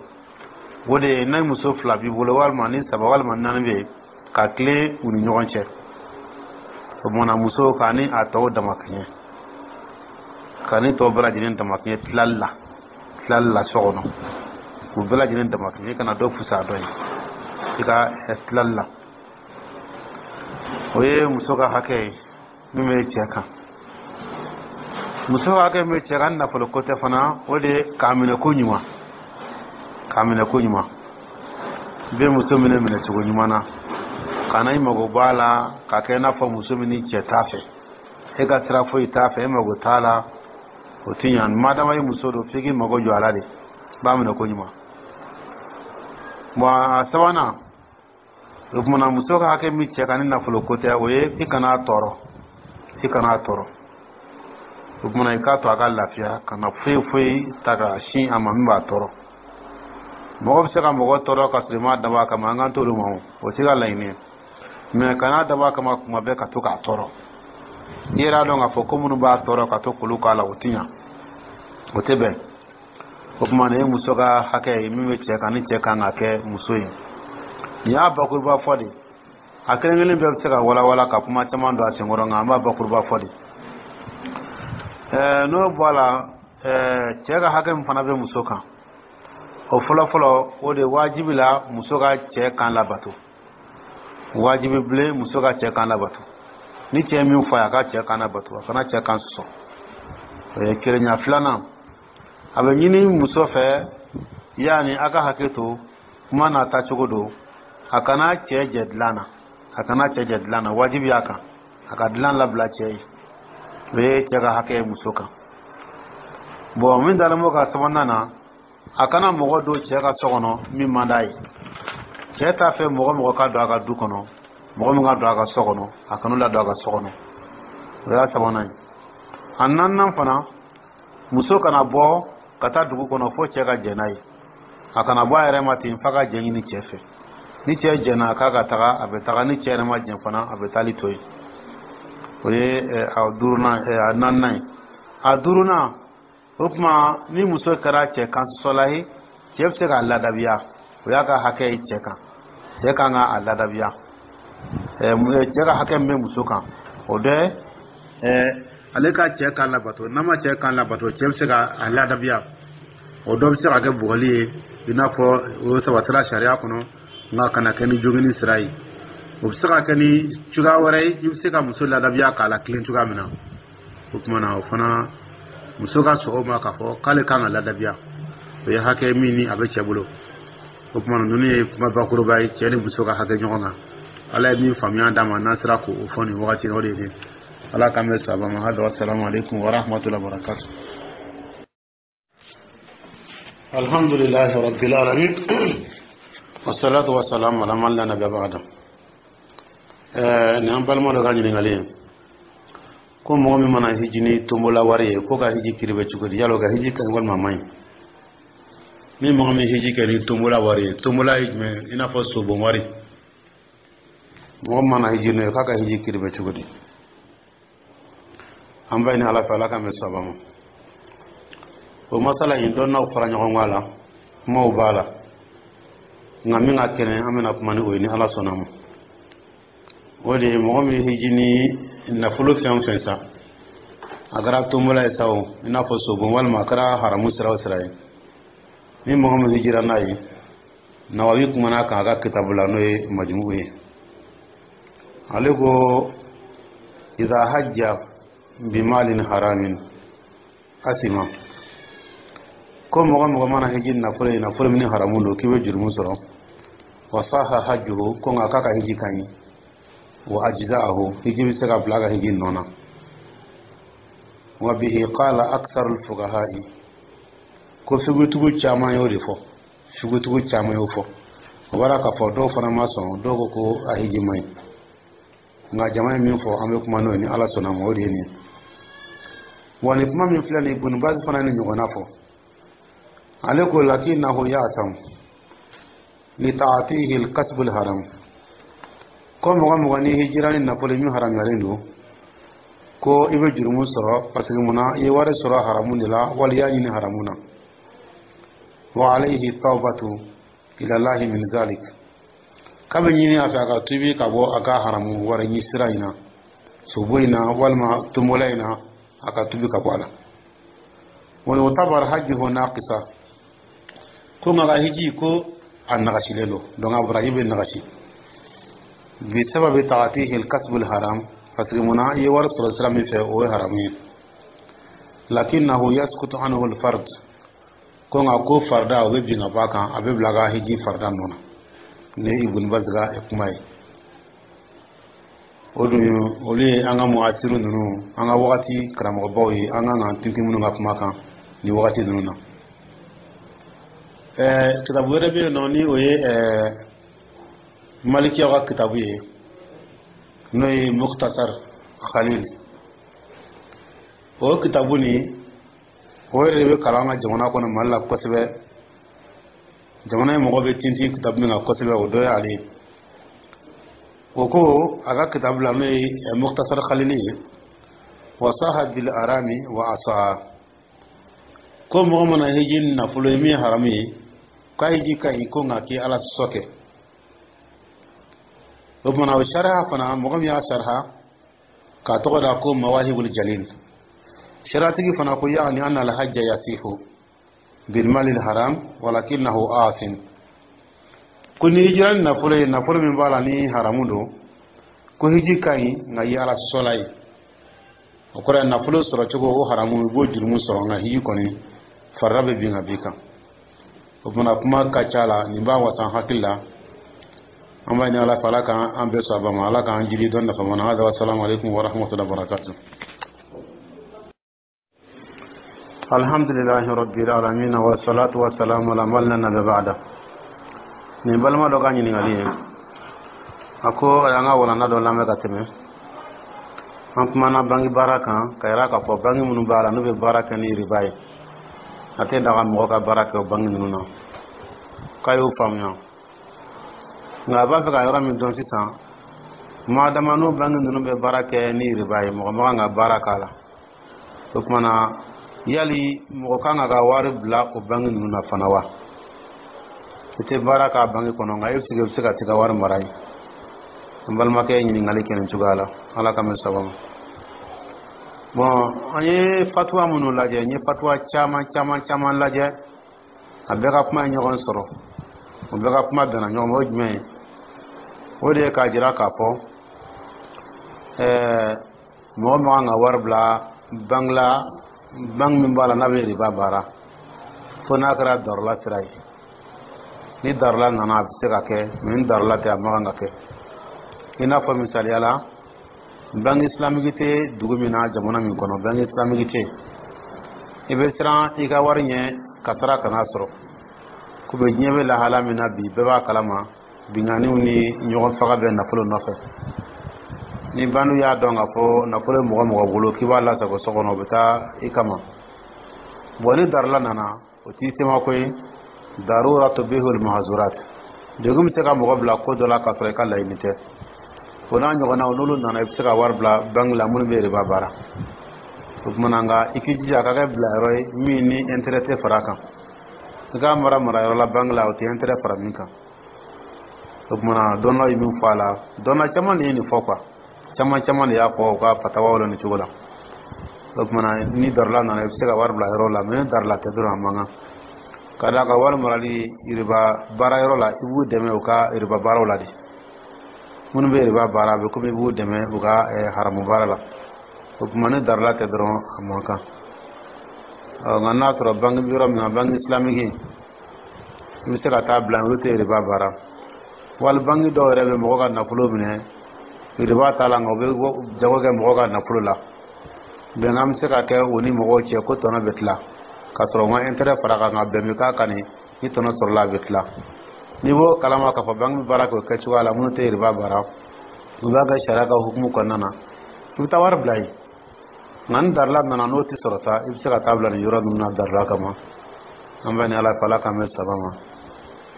o de ye ni muso fila b'i bolo, walima ni saba, walima naani bɛ yen, ka tilen u ni ɲɔgɔn cɛ. O tuma muso k'a ni a tɔw damakɛɲɛ, ka ni tɔw bɛɛ lajɛlen damakɛɲɛ tilali la tilali la so kɔnɔ, k'u bɛɛ lajɛlen damakɛɲɛ, i kana dɔ fisaya dɔ ye i ka tilali la. O ye muso ka hakɛ ye min bɛ cɛ kan. Muso ka hakɛ min bɛ cɛ kan, nafolo ko tɛ fana, o de ye k'a minɛ ko ɲuman, k'a minɛ ko ɲuman. I bɛ muso minɛ minɛcogo ɲuman na, kana i mago b'a la k'a kɛ i n'a fɔ muso min ni cɛ t'a fɛ, e ka sira foyi t'a fɛ, e mago t'a la, o ti ɲa. Madama i muso don, f'i k'i mago jɔ a la de, i b'a minɛ ko ɲuman. Bon, a sabanan, o kumana muso ka hakɛ min cɛ kan ni nafolo ko tɛ, o ye i kana tɔɔrɔ, i kana tɔɔrɔ. O kumana i k'a to a ka lafiya, kana foyi foyi ta ka sin a ma min b'a tɔɔrɔ. Mɔgɔ bɛ se ka mɔgɔ tɔɔrɔ ka sɔrɔ i m'a dabɔ a kama, an k'an t'olu ma, o o t'i ka laɲini ye. Mɛ kana dabɔ a kama kuma bɛɛ ka to k'a tɔɔrɔ. I yɛrɛ y'a dɔn k'a fɔ ko minnu b'a tɔɔrɔ, ka to k'olu k'a la, o ti ɲa, o tɛ bɛn. O tuma nin ye muso ka hakɛ ye min bɛ cɛ kan, ni cɛ kan ka kɛ muso ye. Nin y'a bakuruba fɔ de. A kelen kelen bɛɛ bɛ se ka walawala ka kuma caman don a senkɔrɔ, nka an b'a bakuruba fɔ de. Ɛɛ n'o bɔ a la, ɛɛ cɛ ka hakɛ min fana bɛ muso kan, o fɔlɔfɔlɔ, o de wajibi la muso ka cɛ kan labato. Wajibi bilen, muso ka cɛ kan labato. Ni cɛ min fɔ a ye, a ka cɛ kan labato, a kana cɛ kan sɔsɔ. O ye kelenya. Filanan, a bɛ ɲini muso fɛ, yaani a ka hakɛ to, kuma n'a tacogo don, a kana cɛ jɛ dilan na, a kana cɛ jɛ dilan na. Wajibi y'a kan a ka dilan labila cɛ ye. O ye cɛ ka hakɛ ye muso kan. Bon, min dalen b'o ka sabanan na, a kana mɔgɔ don cɛ ka so kɔnɔ min man d'a ye. Cɛ t'a fɛ mɔgɔ mɔgɔ ka don a ka du kɔnɔ, mɔgɔ min ka don a ka so kɔnɔ, a kana ladon a ka so kɔnɔ. O y'a sabanan ye. A naaninan fana, muso kana bɔ ka taa dugu kɔnɔ fo cɛ ka jɛn n'a ye. A kana bɔ a yɛrɛ ma ten f'a ka jɛn ɲini cɛ fɛ. Ni cɛ jɛnna k'a ka taga, a bɛ taga. Ni cɛ yɛrɛ ma jɛn fana, a bɛ taali to yen. O ye a duurunan, a naaninan ye. A duurunan, o tuma ni muso kɛra cɛ kan sɔsɔla ye, cɛ bɛ se k'a ladabiya. O y'a ka hakɛ ye cɛ kan, cɛ kan ka a ladabiya. Cɛ ka hakɛ min bɛ muso kan, o dɔ ale ka cɛ kan labato. N'a ma cɛ kan labato, cɛ bɛ se ka a ladabiya. O dɔ bɛ se ka kɛ bugɔli ye, i n'a fɔ o sabatira sariya kɔnɔ, nka kana kɛ ni jogini sira ye. O bɛ se ka kɛ ni cogoya wɛrɛ ye, i bɛ se ka muso ladabiya k'a la tilen cogoya min na. O tuma na, o fana, muso ka sɔn o ma k'a fɔ k'ale kan ka ladabiya, o ye hakɛ min ni a bɛ cɛ bolo. O tuma na, ninnu ye kuma bakuruba ye, cɛ ni muso ka hakɛ ɲɔgɔn kan. Ala ye min faamuya d'a ma, n'an sera k'o fɔ nin wagati in, o de ye Ala k'an bɛ sababa ma. Hali wasalamu aleykum wa rahmatullahi wa barakatuh. Alhamdulillahi rabbil alamin, wassalatu wassalamu ala man la nabiyya ba'da. Ɛɛ nin an balima dɔ ka ɲininkali ye ko mɔgɔ min mana hiji ni tombola wari ye, ko ka hiji kiri bɛ cogo di? Yala o ka hiji ka ɲi walima a man ɲi? Ni mɔgɔ min hiji kɛ ni tombola wari ye, tombola ye jumɛn? I n'a fɔ sobon wari. Mɔgɔ min mana hiji n'o ye, k'a ka hiji kiri bɛ cogo di? An b'a ɲini Ala fɛ, Ala k'an bɛn sababa ma. O masala in, dɔnnaw fara ɲɔgɔn kan a la, kumaw b'a la, nka min ka kɛnɛ, an bɛna kuma ni o ye ni Ala sɔnna ma. O de ye mɔgɔ min hiji ni nafolo fɛn o fɛn sa, a kɛra tombola ye sa o, i n'a fɔ sobon, walima a kɛra haramu sira o sira ye, ni mɔgɔ min hijira n'a ye, Nawawi kumana kan a ka kitabu la, n'o ye Majmu'u ye. Ale ko iza hajja Bimalin haramin asima, ko mɔgɔ mɔgɔ mana hiji nafolo ye, nafolo min haramu don, k'i bɛ jurumu sɔrɔ. Wa saha hajjuhu, ko nka k'a ka hiji ka ɲi. Wa ajza'ahu, hiji bɛ se ka bila a ka hiji nɔ na. Wa bihi qala aktharu al-fuqaha'i, ko figutigiw caman y'o de fɔ, figutigiw caman y'o fɔ. O b'a la k'a fɔ dɔw fana ma sɔn, dɔw ko ko a hiji man ɲi, nka jama ye min fɔ, an bɛ kuma n'o ye ni Ala sɔnna ma, o de ye nin ye. Wa nin kuma min filɛ nin ye, Ibn Baz fana ye nin ɲɔgɔnna fɔ. Ale ko lakinnahu ya'tam li ta'atihi al-kasbu al-haram, ko mɔgɔ mɔgɔ ni hijira ni nafolo min haramuyalen don, ko i bɛ jurumu sɔrɔ, parce que munna? I ye wari sɔrɔ haramu de la, wali i y'a ɲini haramu na. Wa alayhi tawbatu ila Allahi min zalik, k'a bɛ ɲini a fɛ a ka tubi ka bɔ a ka haramu wari ɲini sira in na, sobo in na walima tombola in na, a ka tubi ka bɔ a la. Wa yutabar hajjuhu naqisa, ko nka ka hiji ko a nagasilen don, donc a baraji bɛ nagasi bi sababi ta'atihi al-kasbu al-haram, parce que munna? I ye wari sɔrɔ sira min fɛ, o ye haramu ye. Lakinnahu yasqutu anhu al-fard, ko nka ko farida o bɛ bin ka bɔ a kan, a bɛ bila a ka hiji farida nɔ na. Ni Ibn Baz ka kuma ye o dun, olu ye an ka muhasiru ninnu, an ka wagati karamɔgɔbaw ye, an kan k'an tintin minnu ka kuma kan nin wagati ninnu na. Ɛɛ kitabu wɛrɛ bɛ yen nɔ, ni o ye ɛɛ malikiyaw ka kitabu ye, n'o ye Muktasar Khalil. O kitabu nin, o yɛrɛ de bɛ kalan an ka jamana kɔnɔ, Mali la kosɛbɛ. Jamana in mɔgɔ bɛ tintin kitabu min kan kosɛbɛ, o dɔ ye ale ye. O ko a ka kitabu la, n'o ye Muktasar Khalili ye, wa saha bil arami wa asaa, ko mɔgɔ mana hiji ni nafolo ye min ye haramu ye, k'a hiji ka ɲi, ko nka k'i Ala sɔsɔ kɛ. O kumana o sariya fana, mɔgɔ min y'a sariya k'a tɔgɔ da ko Mawahibul Jalil, sariatigi fana ko yaani anna alhajja yasihu bilmali haram walakinahu asim, ko ni hijira ni nafolo ye, nafolo min b'a la ni haramu don, ko hiji ka ɲi, nka i ye Ala sɔsɔla ye. O kɔrɔ ye nafolo sɔrɔ cogo o haramu, i b'o jurumu sɔrɔ, nka hiji kɔni farida bɛ bin ka b'i kan. O kumana kuma ka ca la, nin b'a wasa hakili la. An b'a ɲini Ala fɛ, Ala k'an bɛɛ sɔn a ba ma, Ala k'an jiri dɔn nafa ma na. Hada wa salamu alaikum wa rahmatullahi wa barakatuh. Alhamdulillahi rabbil alamin, wa salatu wa salamu ala man la nabiyya ba'da. Nin balima dɔ ka ɲininkali ye, a ko a y'an ka walanda dɔ lamɛn ka tɛmɛ, an kumana bangi baara kan, ka yira k'a fɔ bangi minnu b'a la n'u bɛ baara kɛ ni riba ye, a tɛ daga mɔgɔ ka baara kɛ o bangi ninnu na. K'a y'o faamuya, nka a b'a fɛ ka yɔrɔ min dɔn sisan, madama n'o bangi ninnu bɛ baara kɛ ni riba ye, mɔgɔ man kan ka baara k'a la. O tuma na, yali mɔgɔ kan ka ka wari bila o bangi ninnu na fana wa? I tɛ baara k'a bangi kɔnɔ, nka e bɛ se ka t'i ka wari mara yen. An balimakɛ ye ɲininkali kɛ nin cogoya la, Ala ka mɛn saba ma. Bon, an ye fatuwa minnu lajɛ, n ye fatuwa caman caman caman lajɛ, a bɛɛ ka kuma ye ɲɔgɔn sɔrɔ, o bɛɛ ka kuma bɛnna ɲɔgɔn ma. O jumɛn ye? O de ye k'a jira k'a fɔ ɛɛ mɔgɔ man kan ka wari bila banque la, banque min b'a la n'a bɛ riba baara, fo n'a kɛra darula sira ye. Ni darula nana, a bɛ se ka kɛ, mais ni darula tɛ, a man kan ka kɛ. I n'a fɔ misaliya la, banque islamique tɛ dugu min na, jamana min kɔnɔ banque islamique tɛ, i bɛ siran i ka wari ɲɛ kasara kana sɔrɔ. Komi diɲɛ bɛ lahala min na bi, bɛɛ b'a kalama, binganiw ni ɲɔgɔn faga bɛ nafolo nɔfɛ. Ni bandiw y'a dɔn k'a fɔ nafolo ye mɔgɔ mɔgɔ bolo k'i b'a lasago so kɔnɔ, o bɛ taa i kama. Bon, ni darula nana, o t'i semako ye. Darura tubihul mahzurat, degun bɛ se ka mɔgɔ bila ko dɔ la k'a sɔrɔ i ka laɲini tɛ. O n'a ɲɔgɔnnaw, n'olu nana, i bɛ se ka wari bila banque la minnu bɛ riba baara. O kumana nka i k'i jija a ka kɛ bilayɔrɔ ye min ni intérêt tɛ fara a kan. I k'a mara marayɔrɔ la banque la, o tɛ intérêt fara min kan. O kumana dɔnnaw ye min fɔ a la, dɔnna caman de ye nin fɔ quoi, caman caman de y'a fɔ u ka fatawaw la nin cogo la. O kumana ni darula nana, i bɛ se ka wari bila yɔrɔ la, mais ni darula tɛ dɔrɔn, a man kan ka d'a kan wari marali riba baara yɔrɔ la, i b'u dɛmɛ u ka riba baaraw la de. Minnu bɛ riba baara, a bɛ komi i b'u dɛmɛ u ka haramu baara la. O tuma ni darila tɛ dɔrɔn, a man kan. Nka n'a sɔrɔ banque bɛ yɔrɔ min na, banque islamique, i bɛ se ka taa bila, olu tɛ riba baara. Wali banque dɔw yɛrɛ bɛ mɔgɔ ka nafolo minɛ, riba t'a la, nka u bɛ jago kɛ mɔgɔ ka nafolo la. Bɛnkan bɛ se ka kɛ o ni mɔgɔw cɛ ko tɔnɔ bɛ tila, k'a sɔrɔ u ma intérêt fara kan, nka bɛn bɛ k'a kan ni tɔnɔ sɔrɔla, a bɛ tila. N'i b'o kalama k'a fɔ banque bɛ baara kɛ o kɛcogoya la, minnu tɛ riba baara, u b'a kɛ sariya ka hukumu kɔnɔna na, i bɛ taa wari bila yen. Nka ni darila nana, n'o tɛ sɔrɔ sa, i bɛ se ka taa bila nin yɔrɔ ninnu na darila kama. An bɛ ni Ala fɛ, Ala k'an bɛ saba ma,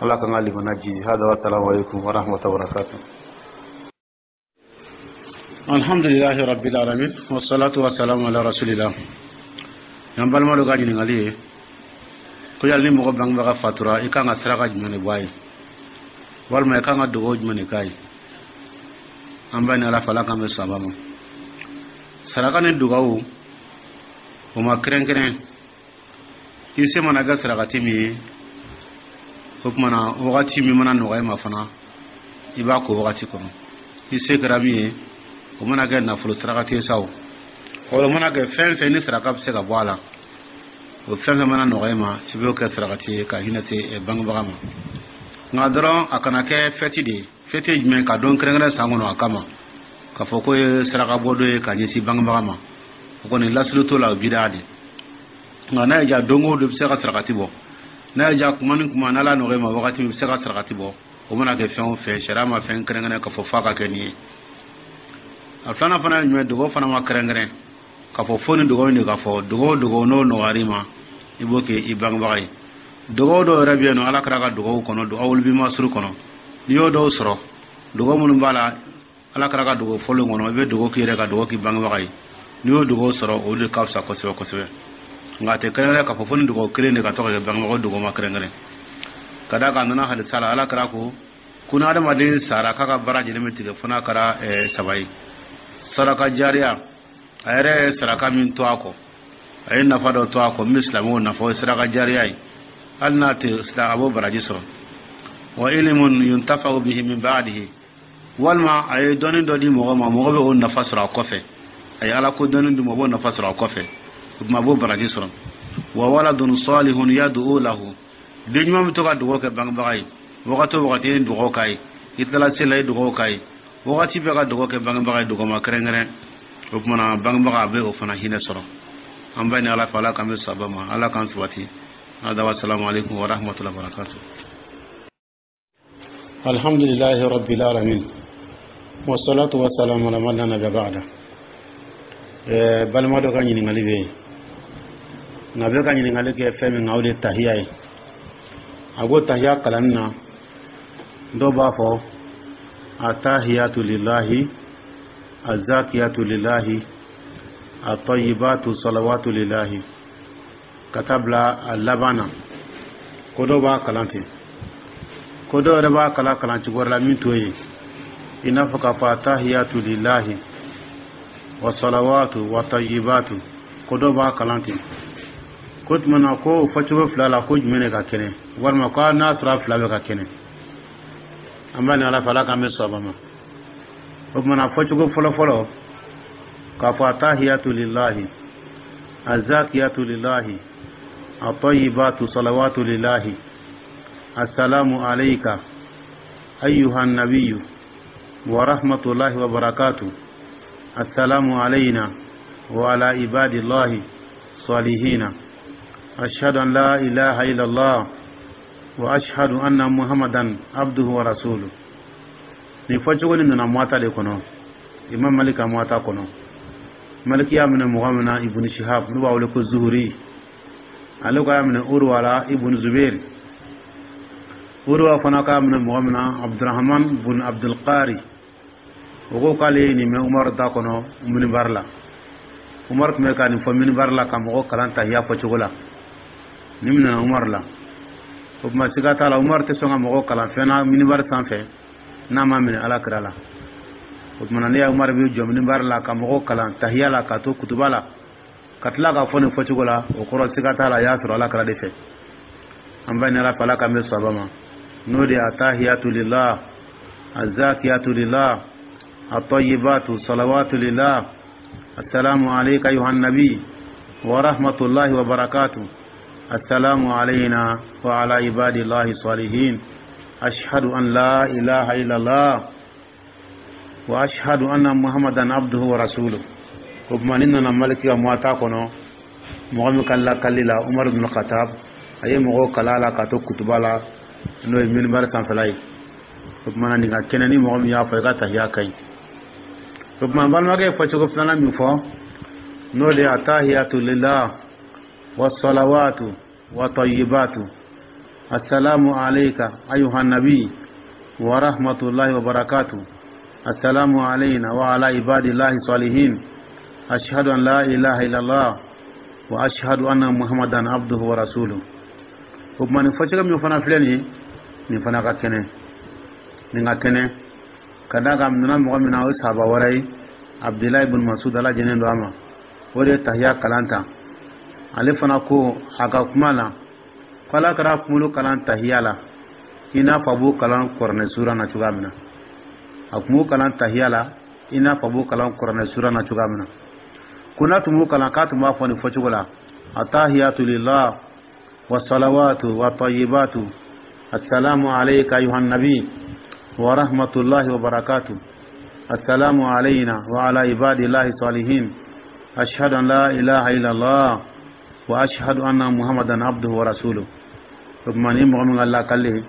Ala k'an ka limana ji. Hada wa salamu alaikum wa rahmatullahi wa barakatuh. Alhamdulilahi rabbil alamin, wassalatu wassalamu ala rasulillah. Yan balima dɔ ka ɲininkali ye ko yali ni mɔgɔ bangebaga fatura, i kan ka saraka jumɛn de bɔ a ye, walima i kan ka dugawu jumɛn de k'a ye? An b'a ni Ala fɛ, Ala k'an bɛ saba ma. Saraka ni dugawu, o ma kɛrɛnkɛrɛn. I se mana kɛ sarakati min ye, o tuma na wagati min mana nɔgɔya i ma fana, i b'a ko wagati kɔnɔ. I se kɛra min ye, o mana kɛ nafolo sarakati ye sa, o o mana kɛ fɛn fɛn ni saraka bɛ se ka bɔ a la, o fɛn fɛn mana nɔgɔya i ma, i b'o kɛ sarakati ye ka hinɛ se bangebaga ma. Nka dɔrɔn a kana kɛ fɛti de ye. Fɛti ye jumɛn? Ka don kɛrɛnkɛrɛn san kɔnɔ a kama, k'a fɔ ko ye saraka bɔ dɔ ye ka ɲɛsin bangebaga ma, o kɔni lasili t'o la, o bidaa de. Nka n'a ye ja, don o don i bɛ se ka sarakati bɔ. N'a ye ja, kuma ni kuma, n'Ala nɔgɔya i ma wagati min, i bɛ se ka sarakati bɔ. O mana kɛ fɛn o fɛn, sariya ma fɛn kɛrɛnkɛrɛn k'a fɔ f'a ka kɛ nin ye. A filanan fana ye jumɛn? Dugawu fana ma kɛrɛnkɛrɛn k'a fɔ fo ni dugawu in de ka fɔ. Dugawu o dugawu n'o nɔgɔyara i ma, i b'o kɛ i bangebaga ye. Dugawu dɔw yɛrɛ bɛ yen nɔ, Ala kɛra ka dugawu kɔnɔ dugawu bi masuru kɔnɔ, n'i y'o dɔw sɔrɔ, dugawu minnu b'a la, Ala kɛra ka dugawu fɔlen kɔnɔ, i bɛ dugawu k'i yɛrɛ, ka dugawu k'i bangebaga ye. N'i y'o dugawu sɔrɔ, o de ka fisa kosɛbɛ kosɛbɛ. Nka a tɛ kɛrɛnkɛrɛn k'a fɔ fo ni dugawu kelen de ka to ka kɛ bangebaga. Dugawu ma kɛrɛnkɛrɛn ka d'a kan. A nana hadisa la, Ala kɛra ko ko ni adamaden sara, k'a ka baara jɛlen bɛ tigɛ fo n'a kɛra saba ye: saraka jariya, a yɛrɛ ye saraka min to a kɔ, a ye nafa dɔ to a kɔ min bɛ silamɛw nafa, o ye saraka jariya ye. Hali n'a tɛ, a b'o baraji sɔrɔ. Wa ilimun yuntafa'u bihi min ba'dihi, walima a ye dɔnni dɔ di mɔgɔ ma, mɔgɔ bɛ o nafa sɔrɔ a kɔfɛ. A ye Ala ko dɔnni di ma, o b'o nafa sɔrɔ a kɔfɛ, o tuma a b'o baraji sɔrɔ. Wa waladun salihun yad'u lahu, den ɲuman bɛ to ka dugawu kɛ bangebaga ye. Wagati o wagati, i ye dugawu k'a ye, i tilala seli la, i ye dugawu k'a ye, wagati bɛɛ ka dugawu kɛ bangebaga ye. Dugawu ma kɛrɛnkɛrɛn. O tuma na bangebaga a bɛ o fana hinɛ sɔrɔ. An b'a ni Ala fɛ, Ala k'an bɛ saba ma, Ala k'an sabati. Hada wa salamu alaikum wa rahmatullahi wa barakatuh. Alhamdulillahi rabbil alamin, wassalatu wassalamu ala man la nabiyya ba'da. Balima dɔ ka ɲininkali bɛ yen, nka bɛ ka ɲininkali kɛ fɛn min kan, o de ye tahiya ye. A ko tahiya kalanni na, dɔw b'a fɔ atahiyatu lillahi, azakiyatu lillahi, atayibatu salawatu lillahi, ka taa bila a laban na. Ko dɔw b'a kalan ten, ko dɔw yɛrɛ b'a kalan kalan cogo wɛrɛ la min t'o ye, i n'a fɔ k'a fɔ atahiyatu lillahi wa salawatu wa tayibatu. Ko dɔw b'a kalan ten. Ko tuma na, ko o fɔcogo fila la, ko jumɛn de ka kɛnɛ, walima ko n'a sɔrɔ a fila bɛ ka kɛnɛ? An b'a ni Ala fɛ, Ala k'an bɛ sɔn ma. O tuma na, fɔcogo fɔlɔ fɔlɔ k'a fɔ atahiyatu lillahi, azakiyatu lillahi, atayibatu salawatu lillahi, assalamu alayka ayyuha nabiyyu wa rahmatullahi wa barakatuh, assalamu alayna wa ala ibadillahi salihina, ashhadu an la ilaha illallah wa ashhadu anna muhammadan abduhu wa rasuluhu. Nin fɔcogo nin nana Muwata de kɔnɔ, Imam Malik ka Muwata kɔnɔ. Maliki y'a minɛ mɔgɔ min na, Ibn Shihab, n'u b'a wele ko Zuhuri, ale ko y'a minɛ Urwa la, Ibn Zubair. Urwa fana k'a minɛ mɔgɔ min na, Abdurrahman bun Abdulqari. O ko k'ale ye nin mɛn Umaru da kɔnɔ minibari la. Umaru tun bɛ ka nin fɔ minibari la ka mɔgɔ kalan tahiya fɔcogo la. Nin minɛna Umaru la. O tuma, siga t'a la, Umaru tɛ sɔn ka mɔgɔ kalan fɛn na minibari sanfɛ n'a ma minɛ Ala kira la. O tuma na, ne ya Umaru bɛ jɔ minibari la ka mɔgɔw kalan tahiya la, ka to kutuba la, ka tila ka fɔ nin fɔcogo la, o kɔrɔ siga t'a la, a y'a sɔrɔ Ala kira de fɛ. An b'a ɲini Ala fɛ, Ala k'an bɛ saba ma. N'o de ye atahiyatu lillah, azakiyatu lillah, atayibatu salawatu lillah, السلام عليك أيها النبي ورحمة الله وبركاته، السلام علينا وعلى عباد الله الصالحين، أشهد أن لا إله إلا الله وأشهد أن محمدا عبده ورسوله. O tuma ni nana Maliki ka Muwata kɔnɔ, mɔgɔ min ka lakali la, Umar ibn Khattab, a ye mɔgɔw kala la ka to kutuba la, n'o ye minibari sanfɛla ye. O tuma na nin ka kɛnɛ, ni mɔgɔ min y'a fɔ, i ka tahiya ka ɲi. O tuma balimakɛ ye fɔcogo filanan min fɔ, n'o de ye التحيات لله والصلوات والطيبات، السلام عليك أيها النبي ورحمة الله وبركاته، السلام علينا وعلى عباد الله الصالحين، أشهد أن لا إله إلا الله وأشهد أن محمدا عبده ورسوله. O tuma nin fɔcogo min fana filɛ nin ye, nin fana ka kɛnɛ, nin ka kɛnɛ ka d'a kan nana mɔgɔ min na, o ye sahaba wɛrɛ ye, Abdulayi ibn Masud, Ala jɛnnen don a ma. O de ye tahiya kalan ta. Ale fana ko a ka kuma la ko Ala kɛra kunkolo kalan tahiya la i n'a fɔ a b'o kalan kuranɛ sura na cogoya min na. A tun b'o kalan tahiya la i n'a fɔ a b'o kalan kuranɛ sura na cogoya min na. Ko n'a tun b'o kalan, k'a tun b'a fɔ nin fɔcogo la: التحيات لله والصلوات والطيبات، السلام عليك أيها النبي ورحمة الله وبركاته، السلام علينا وعلى عباد الله الصالحين، أشهد أن لا إله إلا الله وأشهد أن محمدا عبده ورسوله. O tuma ni mɔgɔ min ka lakali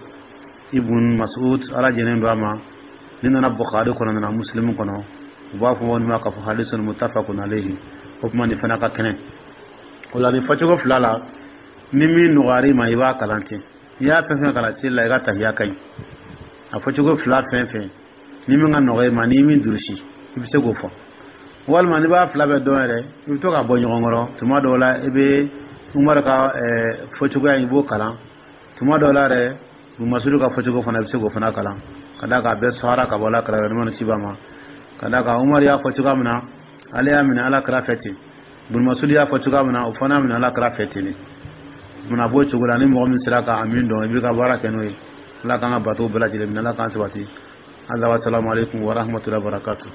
Ibn Mas'ud, Ala jɛnnen don a ma, ni nana Bukhari kɔnɔ, nana Muslim kɔnɔ, u b'a fɔ nin ma k'a fɔ حديث متفق عليه. O tuma nin fana ka kɛnɛ. O la nin fɔcogo fila la, ni min nɔgɔyara i ma, i b'a kalan ten. N'i y'a fɛn fɛn kalan seli la, i ka tahiya ka ɲi. A fɔcogo fila fɛn fɛn, ni min ka nɔgɔ i ma, n'i min durusi, i bɛ se k'o fɔ. Walima n'i b'a fila bɛɛ dɔn yɛrɛ, i bɛ to ka bɔ ɲɔgɔn kɔrɔ. Tuma dɔw la, i bɛ Umaru ka fɔcogoya in, i b'o kalan. Tuma dɔw la yɛrɛ, Masudu ka fɔcogo fana, i bɛ se k'o fana kalan, ka d'a kan a bɛɛ sɔnra ka bɔ Ala kira yɔrɔ ni ba ma. Ka d'a kan Umaru y'a fɔ cogoya min na, ale y'a minɛ Ala kira fɛ ten. Masudu y'a fɔ cogoya min na, o fana y'a minɛ Ala kira fɛ ten de. Munna b'o cogo la? Ni mɔgɔ min sera ka min dɔn, i b'i ka baara kɛ n'o ye. Ala k'an ka bato bɛɛ lajɛlen minɛ, Ala k'an sabati. السلام عليكم ورحمة الله وبركاته.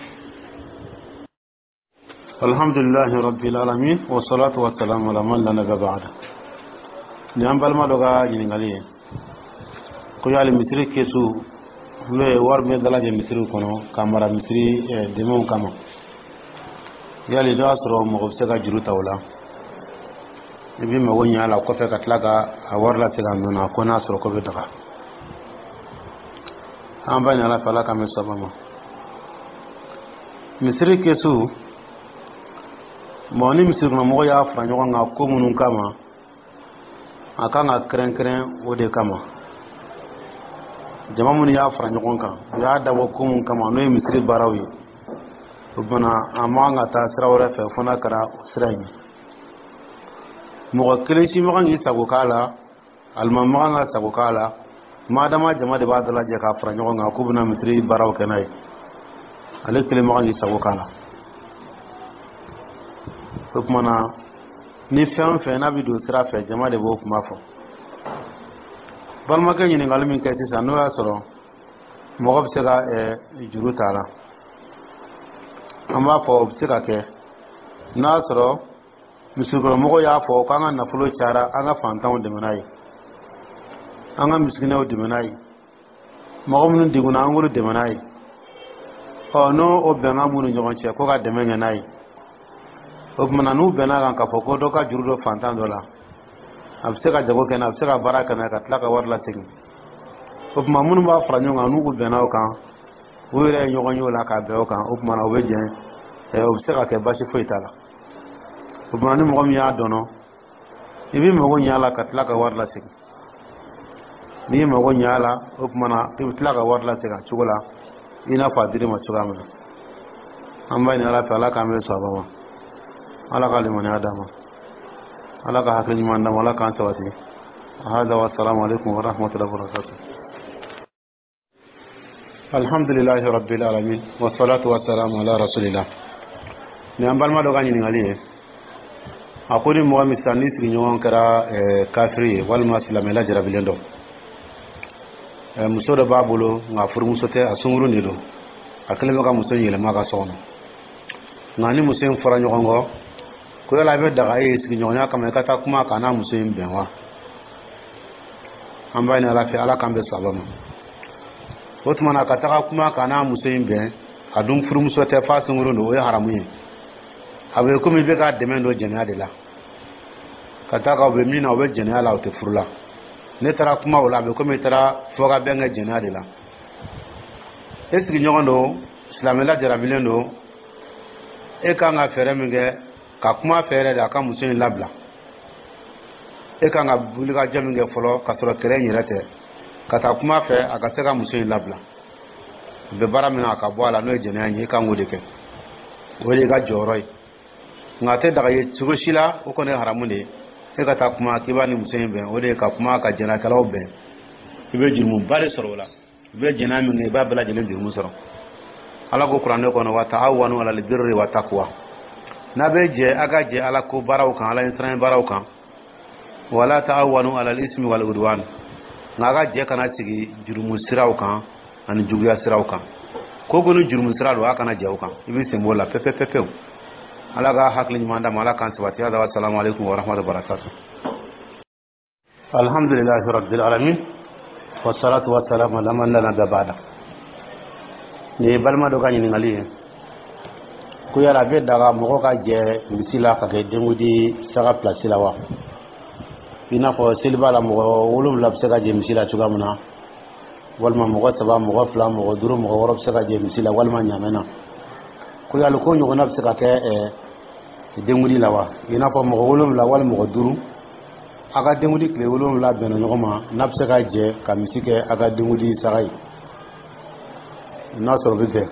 الحمد لله رب العالمين والصلاة والسلام على من لا نبي بعده. Ni an balima dɔ ka ɲininkali ye ko yali misiri kesu, n'o ye wari bɛ dalajɛ misiriw kɔnɔ ka mara misiri dɛmɛw kama, yali n'o y'a sɔrɔ mɔgɔ bɛ se ka juru ta o la, i bɛ mago ɲɛ a la kɔfɛ ka tila ka a wari lasegin a nɔ na, ko n'a sɔrɔ ko bɛ daga? An b'a ɲini Ala fɛ, Ala k'an bɛ saba ma. Misiri kesu mɔgɔ ni misiri kɔnɔmɔgɔw y'a fara ɲɔgɔn kan ko minnu kama, a kan ka kɛrɛnkɛrɛn o de kama. Jama minnu y'a fara ɲɔgɔn kan, u y'a dabɔ ko mun kama, n'o ye misiri baaraw ye, o fana a man kan ka taa sira wɛrɛ fɛ fo n'a kɛra o sira in ye. Mɔgɔ kelen si man kan k'i sago k'a la, alimami man kan ka sago k'a la. Madama jama de b'a dalajɛ k'a fara ɲɔgɔn kan k'u bɛna misiri baaraw kɛ n'a ye, ale kelen man kan k'i sago k'a la. O tuma na, ni fɛn o fɛn n'a bɛ don sira fɛ, jama de b'o kuma fɔ. Balimakɛ ɲininkali min kɛ sisan, n'o y'a sɔrɔ mɔgɔ bɛ se ka juru ta a la, an b'a fɔ o bɛ se ka kɛ n'a y'a sɔrɔ misirikɔnɔmɔgɔw y'a fɔ k'an ka nafolo cayara, an ka fantanw dɛmɛ n'a ye, an ka misikinɛw dɛmɛ n'a ye, mɔgɔ minnu degunna, an k'olu dɛmɛ n'a ye. Ɔ n'o o bɛnkan b'u ni ɲɔgɔn cɛ ko ka dɛmɛ kɛ n'a ye, o tuma na n'u bɛnna kan k'a fɔ ko dɔ ka juru dɔ fantan dɔ la, a bɛ se ka jago kɛ n'a, a bɛ se ka baara kɛ n'a ye ka tila ka wari lasegin, o tuma minnu b'a fara ɲɔgɔn kan, n'u bɛnna o kan, u yɛrɛ ye ɲɔgɔn ye o la k'a bɛn o kan, o tuma na o bɛ jɛn, o bɛ se ka kɛ, baasi foyi t'a la. O tuma ni mɔgɔ min y'a dɔn, i b'i mago ɲɛ a la ka tila ka wari lasegin. N'i ye mago ɲɛ a la, o tuma na i bɛ tila ka wari lasegin a cogo la i n'a fɔ a dir'i ma cogoya min na. An b'a ɲini Ala fɛ, Ala k'an bɛn sababa ma, Ala ka limaniya d'an ma, Ala ka hakili ɲuman d'an ma, Ala k'an sabati. هذا والسلام عليكم ورحمة الله وبركاته. الحمد لله رب العالمين والصلاة والسلام على رسول الله. Ni an balima dɔ ka ɲininkali ye, a ko ni mɔgɔ min sisan ni sigiɲɔgɔn kɛra kafiri ye walima silamɛ jarabilen dɔ, muso dɔ b'a bolo, nka furumuso tɛ, a sunkurun de don, a kɛlen bɛ ka muso yɛlɛma ka so kɔnɔ. Nka ni muso in fɔra ɲɔgɔn kɔ, ko yala a bɛ daga e ye sigiɲɔgɔnya kama i ka taa kuma k'a n'a muso in bɛn wa? An b'a ɲini Ala fɛ, Ala k'an bɛn saba ma. O tuma na, ka taga kuma k'a n'a muso in bɛn, a dun furumuso tɛ, f'a sunkurun don, o ye haramu ye. A bɛ komi i bɛ ka dɛmɛ don jɛnɛya de la, ka taa ka u bɛ min na, u bɛ jɛnɛya la, u tɛ furu la. Ne taara kuma o la, a bɛ komi i taara fɔ ka bɛn kɛ jɛnɛya de la. E sigiɲɔgɔn don, silamɛla jarabilen don, e kan ka fɛɛrɛ min kɛ ka kuma fɛ yɛrɛ de, a ka muso in labila. E kan ka wulikajɔ min kɛ fɔlɔ, ka sɔrɔ kɛlɛ in yɛrɛ tɛ, ka taa kuma fɛ a ka se ka muso in labila. A bɛ baara min na, a ka bɔ a la, n'o ye jɛnɛya ye. E kan k'o de kɛ, o de y'i ka jɔyɔrɔ ye. Nka a tɛ daga ye cogo si la, o kɔni ye haramu de ye, e ka taa kuma k'i b'a ni muso in bɛn. O de ye ka kuma ka jɛnɛkɛlaw bɛn. I bɛ jurumuba de sɔrɔ o la. I bɛ jɛnɛya min kɛ, i b'a bɛɛ lajɛlen jurumu sɔrɔ. Ala ko Kuranɛ kɔnɔ: wa ta'awanu alal birri wa taqwa. N'a bɛ jɛ, a ka jɛ Ala ko baaraw kan, Ala ɲɛsiranɲɛ baaraw kan. Wala ta'awanu alal ismi wal udwan. Nka a ka jɛ kana sigi jurumu siraw kan ani juguya siraw kan. Ko ko ni jurumu sira don, a kana jɛ o kan, i bɛ sen b'o la pewu pewu pewu. Ala ka hakili ɲuman d'a ma, Ala k'an sabati. Hada, assalamu alaikum wa rahmatullahi wa barakatuh. Alhamdulillahi rabbil alamin, wassalatu wassalamu ala man la nabiyya ba'da. Nin ye balima dɔ ka ɲininkali ye, ko yala a bɛ daga mɔgɔ ka jɛ misi la ka kɛ denkundi saga pilasi la wa? I n'a fɔ seliba la, mɔgɔ wolonwula bɛ se ka jɛ misi la cogoya min na, walima mɔgɔ saba, mɔgɔ fila, mɔgɔ duuru, mɔgɔ wɔɔrɔ bɛ se ka jɛ misi la walima ɲamɛ na. Ko yali ko ɲɔgɔnna bɛ se ka kɛ denkundi la wa? I n'a fɔ mɔgɔ wolonwula walima mɔgɔ duuru, a ka denkundi tile wolonwula bɛnna ɲɔgɔn ma, n'a bɛ se ka jɛ ka misi kɛ a ka denkundi saga ye, n'a sɔrɔ bɛ bɛn.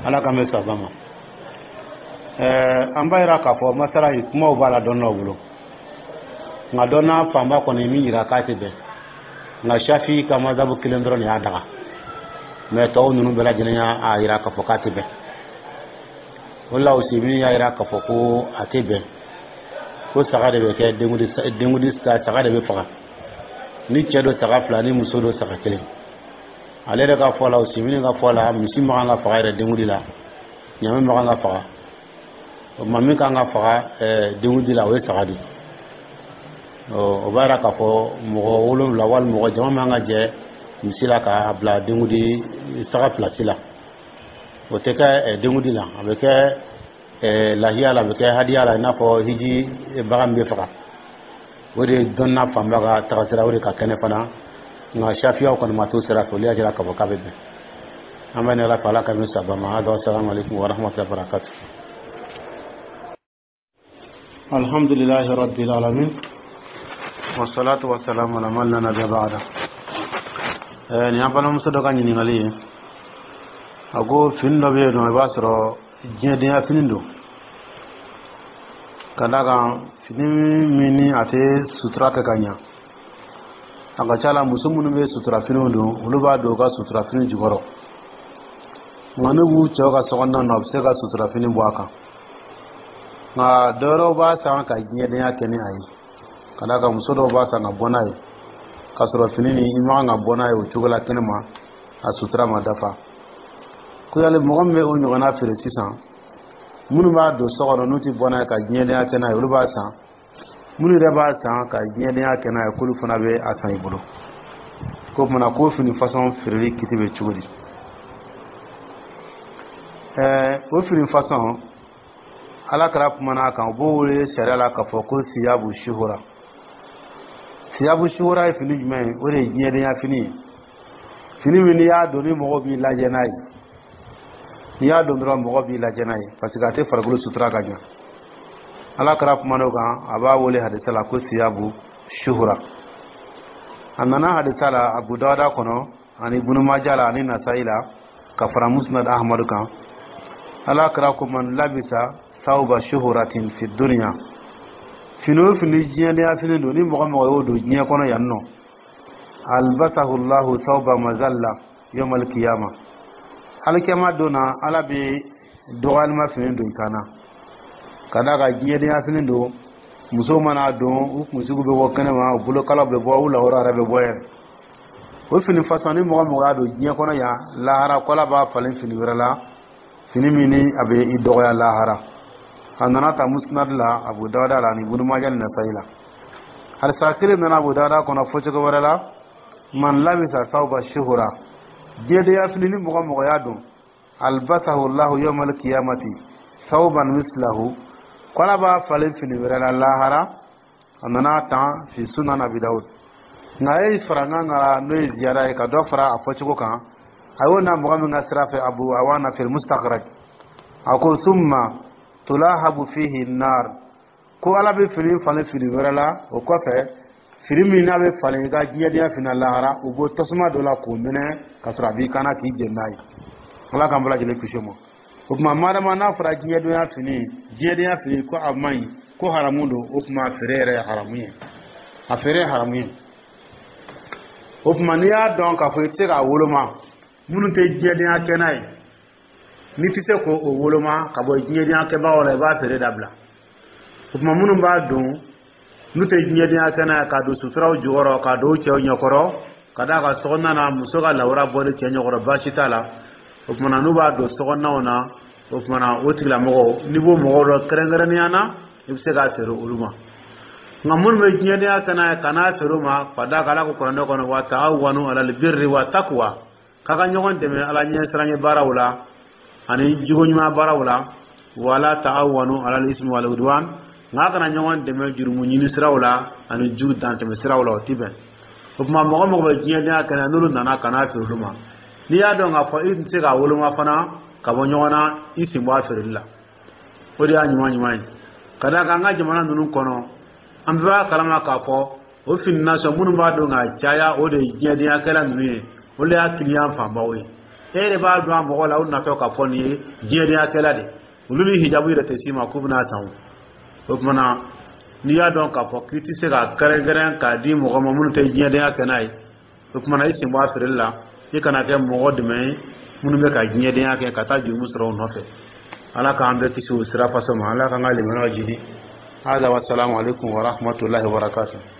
Ala k'an bɛ saba ma. Ɛɛ an b'a yira k'a fɔ masala in, kumaw b'a la dɔnnaw bolo, nka dɔnna fanba kɔni min yira k'a tɛ bɛn. Nka Shafi ka mazabu kelen dɔrɔn de y'a daga, mɛ tɔw ninnu bɛɛ lajɛlen y'a yira k'a fɔ k'a tɛ bɛn. O la, Useyimini y'a yira k'a fɔ ko a tɛ bɛn, ko saga de bɛ kɛ denkundi denkundi saga de bɛ faga, ni cɛ don saga fila, ni muso don saga kelen. Ale yɛrɛ ka fɔ la, Useyimini ka fɔ la, misi man kan ka faga yɛrɛ denkundi la, ɲamɛ man kan ka faga. O tuma, min kan ka faga denkundi la, o ye saga de ye. O b'a yira k'a fɔ mɔgɔ wolonwula walima mɔgɔ jama man ka jɛ misi la k'a bila denkundi saga pilasi la. O tɛ kɛ denkundi la, a bɛ kɛ lahiya la, a bɛ kɛ hadiya la, i n'a fɔ hiji bagan min bɛ faga. O de ye dɔnna fanba ka tagasira, o de ka kɛnɛ fana. Nka Shafiyaw kɔni ma t'o sira fɛ, olu y'a jira k'a fɔ k'a bɛ bɛn. An bɛ ni Ala fɛ, Ala ka min saba ma. Hada, assalamu alaikum wa rahmatullahi wa barakatuh. Alhamdulillahi rabbil alamin, wassalatu wassalamu ala man la nabiyya ba'da. Nin y'an balimamuso dɔ ka ɲininkali ye. A ko fini dɔ bɛ yen nɔ, i b'a sɔrɔ diɲɛdenya fini don, ka d'a kan fini min ni a tɛ sutura kɛ ka ɲa. A ka ca la, muso minnu bɛ sutura finiw don, olu b'a don u ka sutura fini jukɔrɔ. Nka n'u b'u cɛw ka sokɔnɔna na, u bɛ se ka sutura fini bɔ a kan. Nka dɔwɛrɛw b'a san ka diɲɛdenya kɛ ni a ye, ka d'a kan muso dɔw b'a san ka bɔ n'a ye, k'a sɔrɔ fini nin, i man kan ka bɔ n'a ye o cogo la kɛnɛ ma, a sutura ma dafa. Ko yali mɔgɔ min bɛ o ɲɔgɔnna feere sisan, minnu b'a don so kɔnɔ, n'u tɛ bɔ n'a ye ka diɲɛdenya kɛ n'a ye, olu b'a san, minnu yɛrɛ b'a san ka diɲɛdenya kɛ n'a ye, k'olu fana bɛ a san i bolo, k'o kumana k'o fini fasɔn feereli kiti bɛ cogo di? Ɛɛ o fini fasɔn, Ala kɛra kumana a kan, u b'o wele sariya la k'a fɔ ko siyabu sihura. Siyabu sihura ye fini jumɛn ye? O de ye diɲɛdenya fini ye, fini min n'i y'a don, ni mɔgɔw b'i lajɛ n'a ye. N'i y'a don dɔrɔn, mɔgɔ b'i lajɛ n'a ye, parce que a tɛ farikolo sutura ka ɲa. Ala kɛra kumana o kan, a b'a wele hadisa la ko siyabu shuhura. A nana hadisa la Abu Dawuda kɔnɔ ani Ibunu Maja la ani Nasayi la, ka fara Musnad Ahmadu kan. Ala kɛra ko: man labisa sawba shuhuratin fi dunya, fini o fini diɲɛdenya fini don, ni mɔgɔ mɔgɔ y'o don diɲɛ kɔnɔ yan nɔ, albasahu llahu sawba mazalla yawmal qiyama, alikiyama don na, Ala bɛ dɔgɔyalima fini don i kan na. Ka d'a kan diɲɛdenya fini don, musow mana don, u kunsigiw bɛ bɔ kɛnɛma, u bolokalaw bɛ bɔ, u lawura yɛrɛ bɛ bɔ yɛrɛ. O fini fasɔn, ni mɔgɔ mɔgɔ y'a don diɲɛ kɔnɔ yan, lahara ko Ala b'a falen fini wɛrɛ la. Fini min ni a bɛ i dɔgɔya lahara. A nana ta Musnad la, Abu Dawuda la, ani Ibnu Maja ni Nasayi la. Hadisa kelen nana Abu Dawuda kɔnɔ fɔcogo wɛrɛ la: man labisa sawba shuhura, diɲɛdenya fini ni mɔgɔ mɔgɔ y'a don, albasahu Allahu yawmal qiyamati sawban mislahu, ko Ala b'a falen fini wɛrɛ la lahara. A nana tan fi Sunan Abi Dawud. Nka a ye farankan k'a n'o ye ziyara ye ka dɔ fara a fɔcogo kan. A y'o na mɔgɔ min ka sira fɛ, Abu Awana fil Mustakhraj, a ko: summa tulahabu fihi nar, ko Ala bɛ fini falen fini wɛrɛ la o kɔfɛ, fini min n'a bɛ falen i ka diɲɛdenya fini lahara, u bɔ tasuma dɔ la k'o minɛ ka sɔrɔ a b'i kana k'i jeni n'a ye. Ala k'an bɛɛ lajɛlen kisi o ma. O tuma, madama n'a fɔra diɲɛdenya fini, diɲɛdenya fini ko a man ɲi, ko haramu don, o tuma a feere yɛrɛ ye haramu ye, a feere ye haramu ye. O tuma, n'i y'a dɔn k'a fɔ i tɛ se k'a woloma, minnu tɛ diɲɛdenya kɛ n'a ye, n'i tɛ se k'o woloma ka bɔ diɲɛdenya kɛbagaw la, i b'a feere dabila. O tuma, minnu b'a don n'u tɛ diɲɛdenya kɛ n'a ye, k'a don suturaw jukɔrɔ, k'a don cɛw ɲɛkɔrɔ, ka d'a kan sokɔnɔna na, muso ka lawura bɔli cɛ ɲɛkɔrɔ, baasi t'a la. O tuma na, n'u b'a don sokɔnɔnaw na, o tuma na, o tigilamɔgɔw, n'i b'o mɔgɔw dɔn kɛrɛnkɛrɛnnenya na, i bɛ se k'a feere olu ma. Nka minnu bɛ diɲɛdenya kɛ n'a ye, ka n'a feere u ma, ka d'a kan Ala ko Kuranɛ kɔnɔ: wa ta'awanu alal birri wa taqwa, k'a ka ɲɔgɔn dɛmɛ Ala ɲɛsiranɲɛ baaraw la ani jogo ɲuman baaraw la, wala ta'awanu alal ismi wal udwan, nka a kana ɲɔgɔn dɛmɛ jurumu ɲini siraw la ani jugu dantɛmɛ siraw la, o ti bɛn. O tuma, mɔgɔ mɔgɔ bɛ diɲɛdenya kɛ, n'olu nana ka n'a feere olu ma, n'i y'a dɔn k'a fɔ i tɛ se k'a woloma fana ka bɔ ɲɔgɔn na, i sen bɔ a feereli la, o de y'a ɲuman ɲuman ye. Ka d'a kan an ka jamana ninnu kɔnɔ, an bɛɛ b'a kalama k'a fɔ o fini nasɔn minnu b'a dɔn k'a caya, o de ye diɲɛdenyakɛla ninnu ye, o de y'a client fanbaw ye. E yɛrɛ b'a dɔn a mɔgɔ la, o natɔ k'a fɔ nin ye diɲɛdenyakɛla de, olu ni hijabu yɛrɛ tɛ s'i ma k'u bɛna san. O o tuma na, n'i y'a dɔn k'a fɔ k'i tɛ se ka kɛrɛnkɛrɛn k'a di mɔgɔ ma minnu tɛ diɲɛdenya kɛ n'a ye, o tuma na, i sen bɔ a feereli la, i kana kɛ mɔgɔ dɛmɛ ye minnu bɛ ka diɲɛdenya kɛ ka taa jurumu sɔrɔ u nɔfɛ. Ala k'an bɛɛ kisi o sira fasɔn ma. Ala k'an ka limaniyaw jidi. Hada wa salamu alaikum wa rahmatullahi wa barakatuh.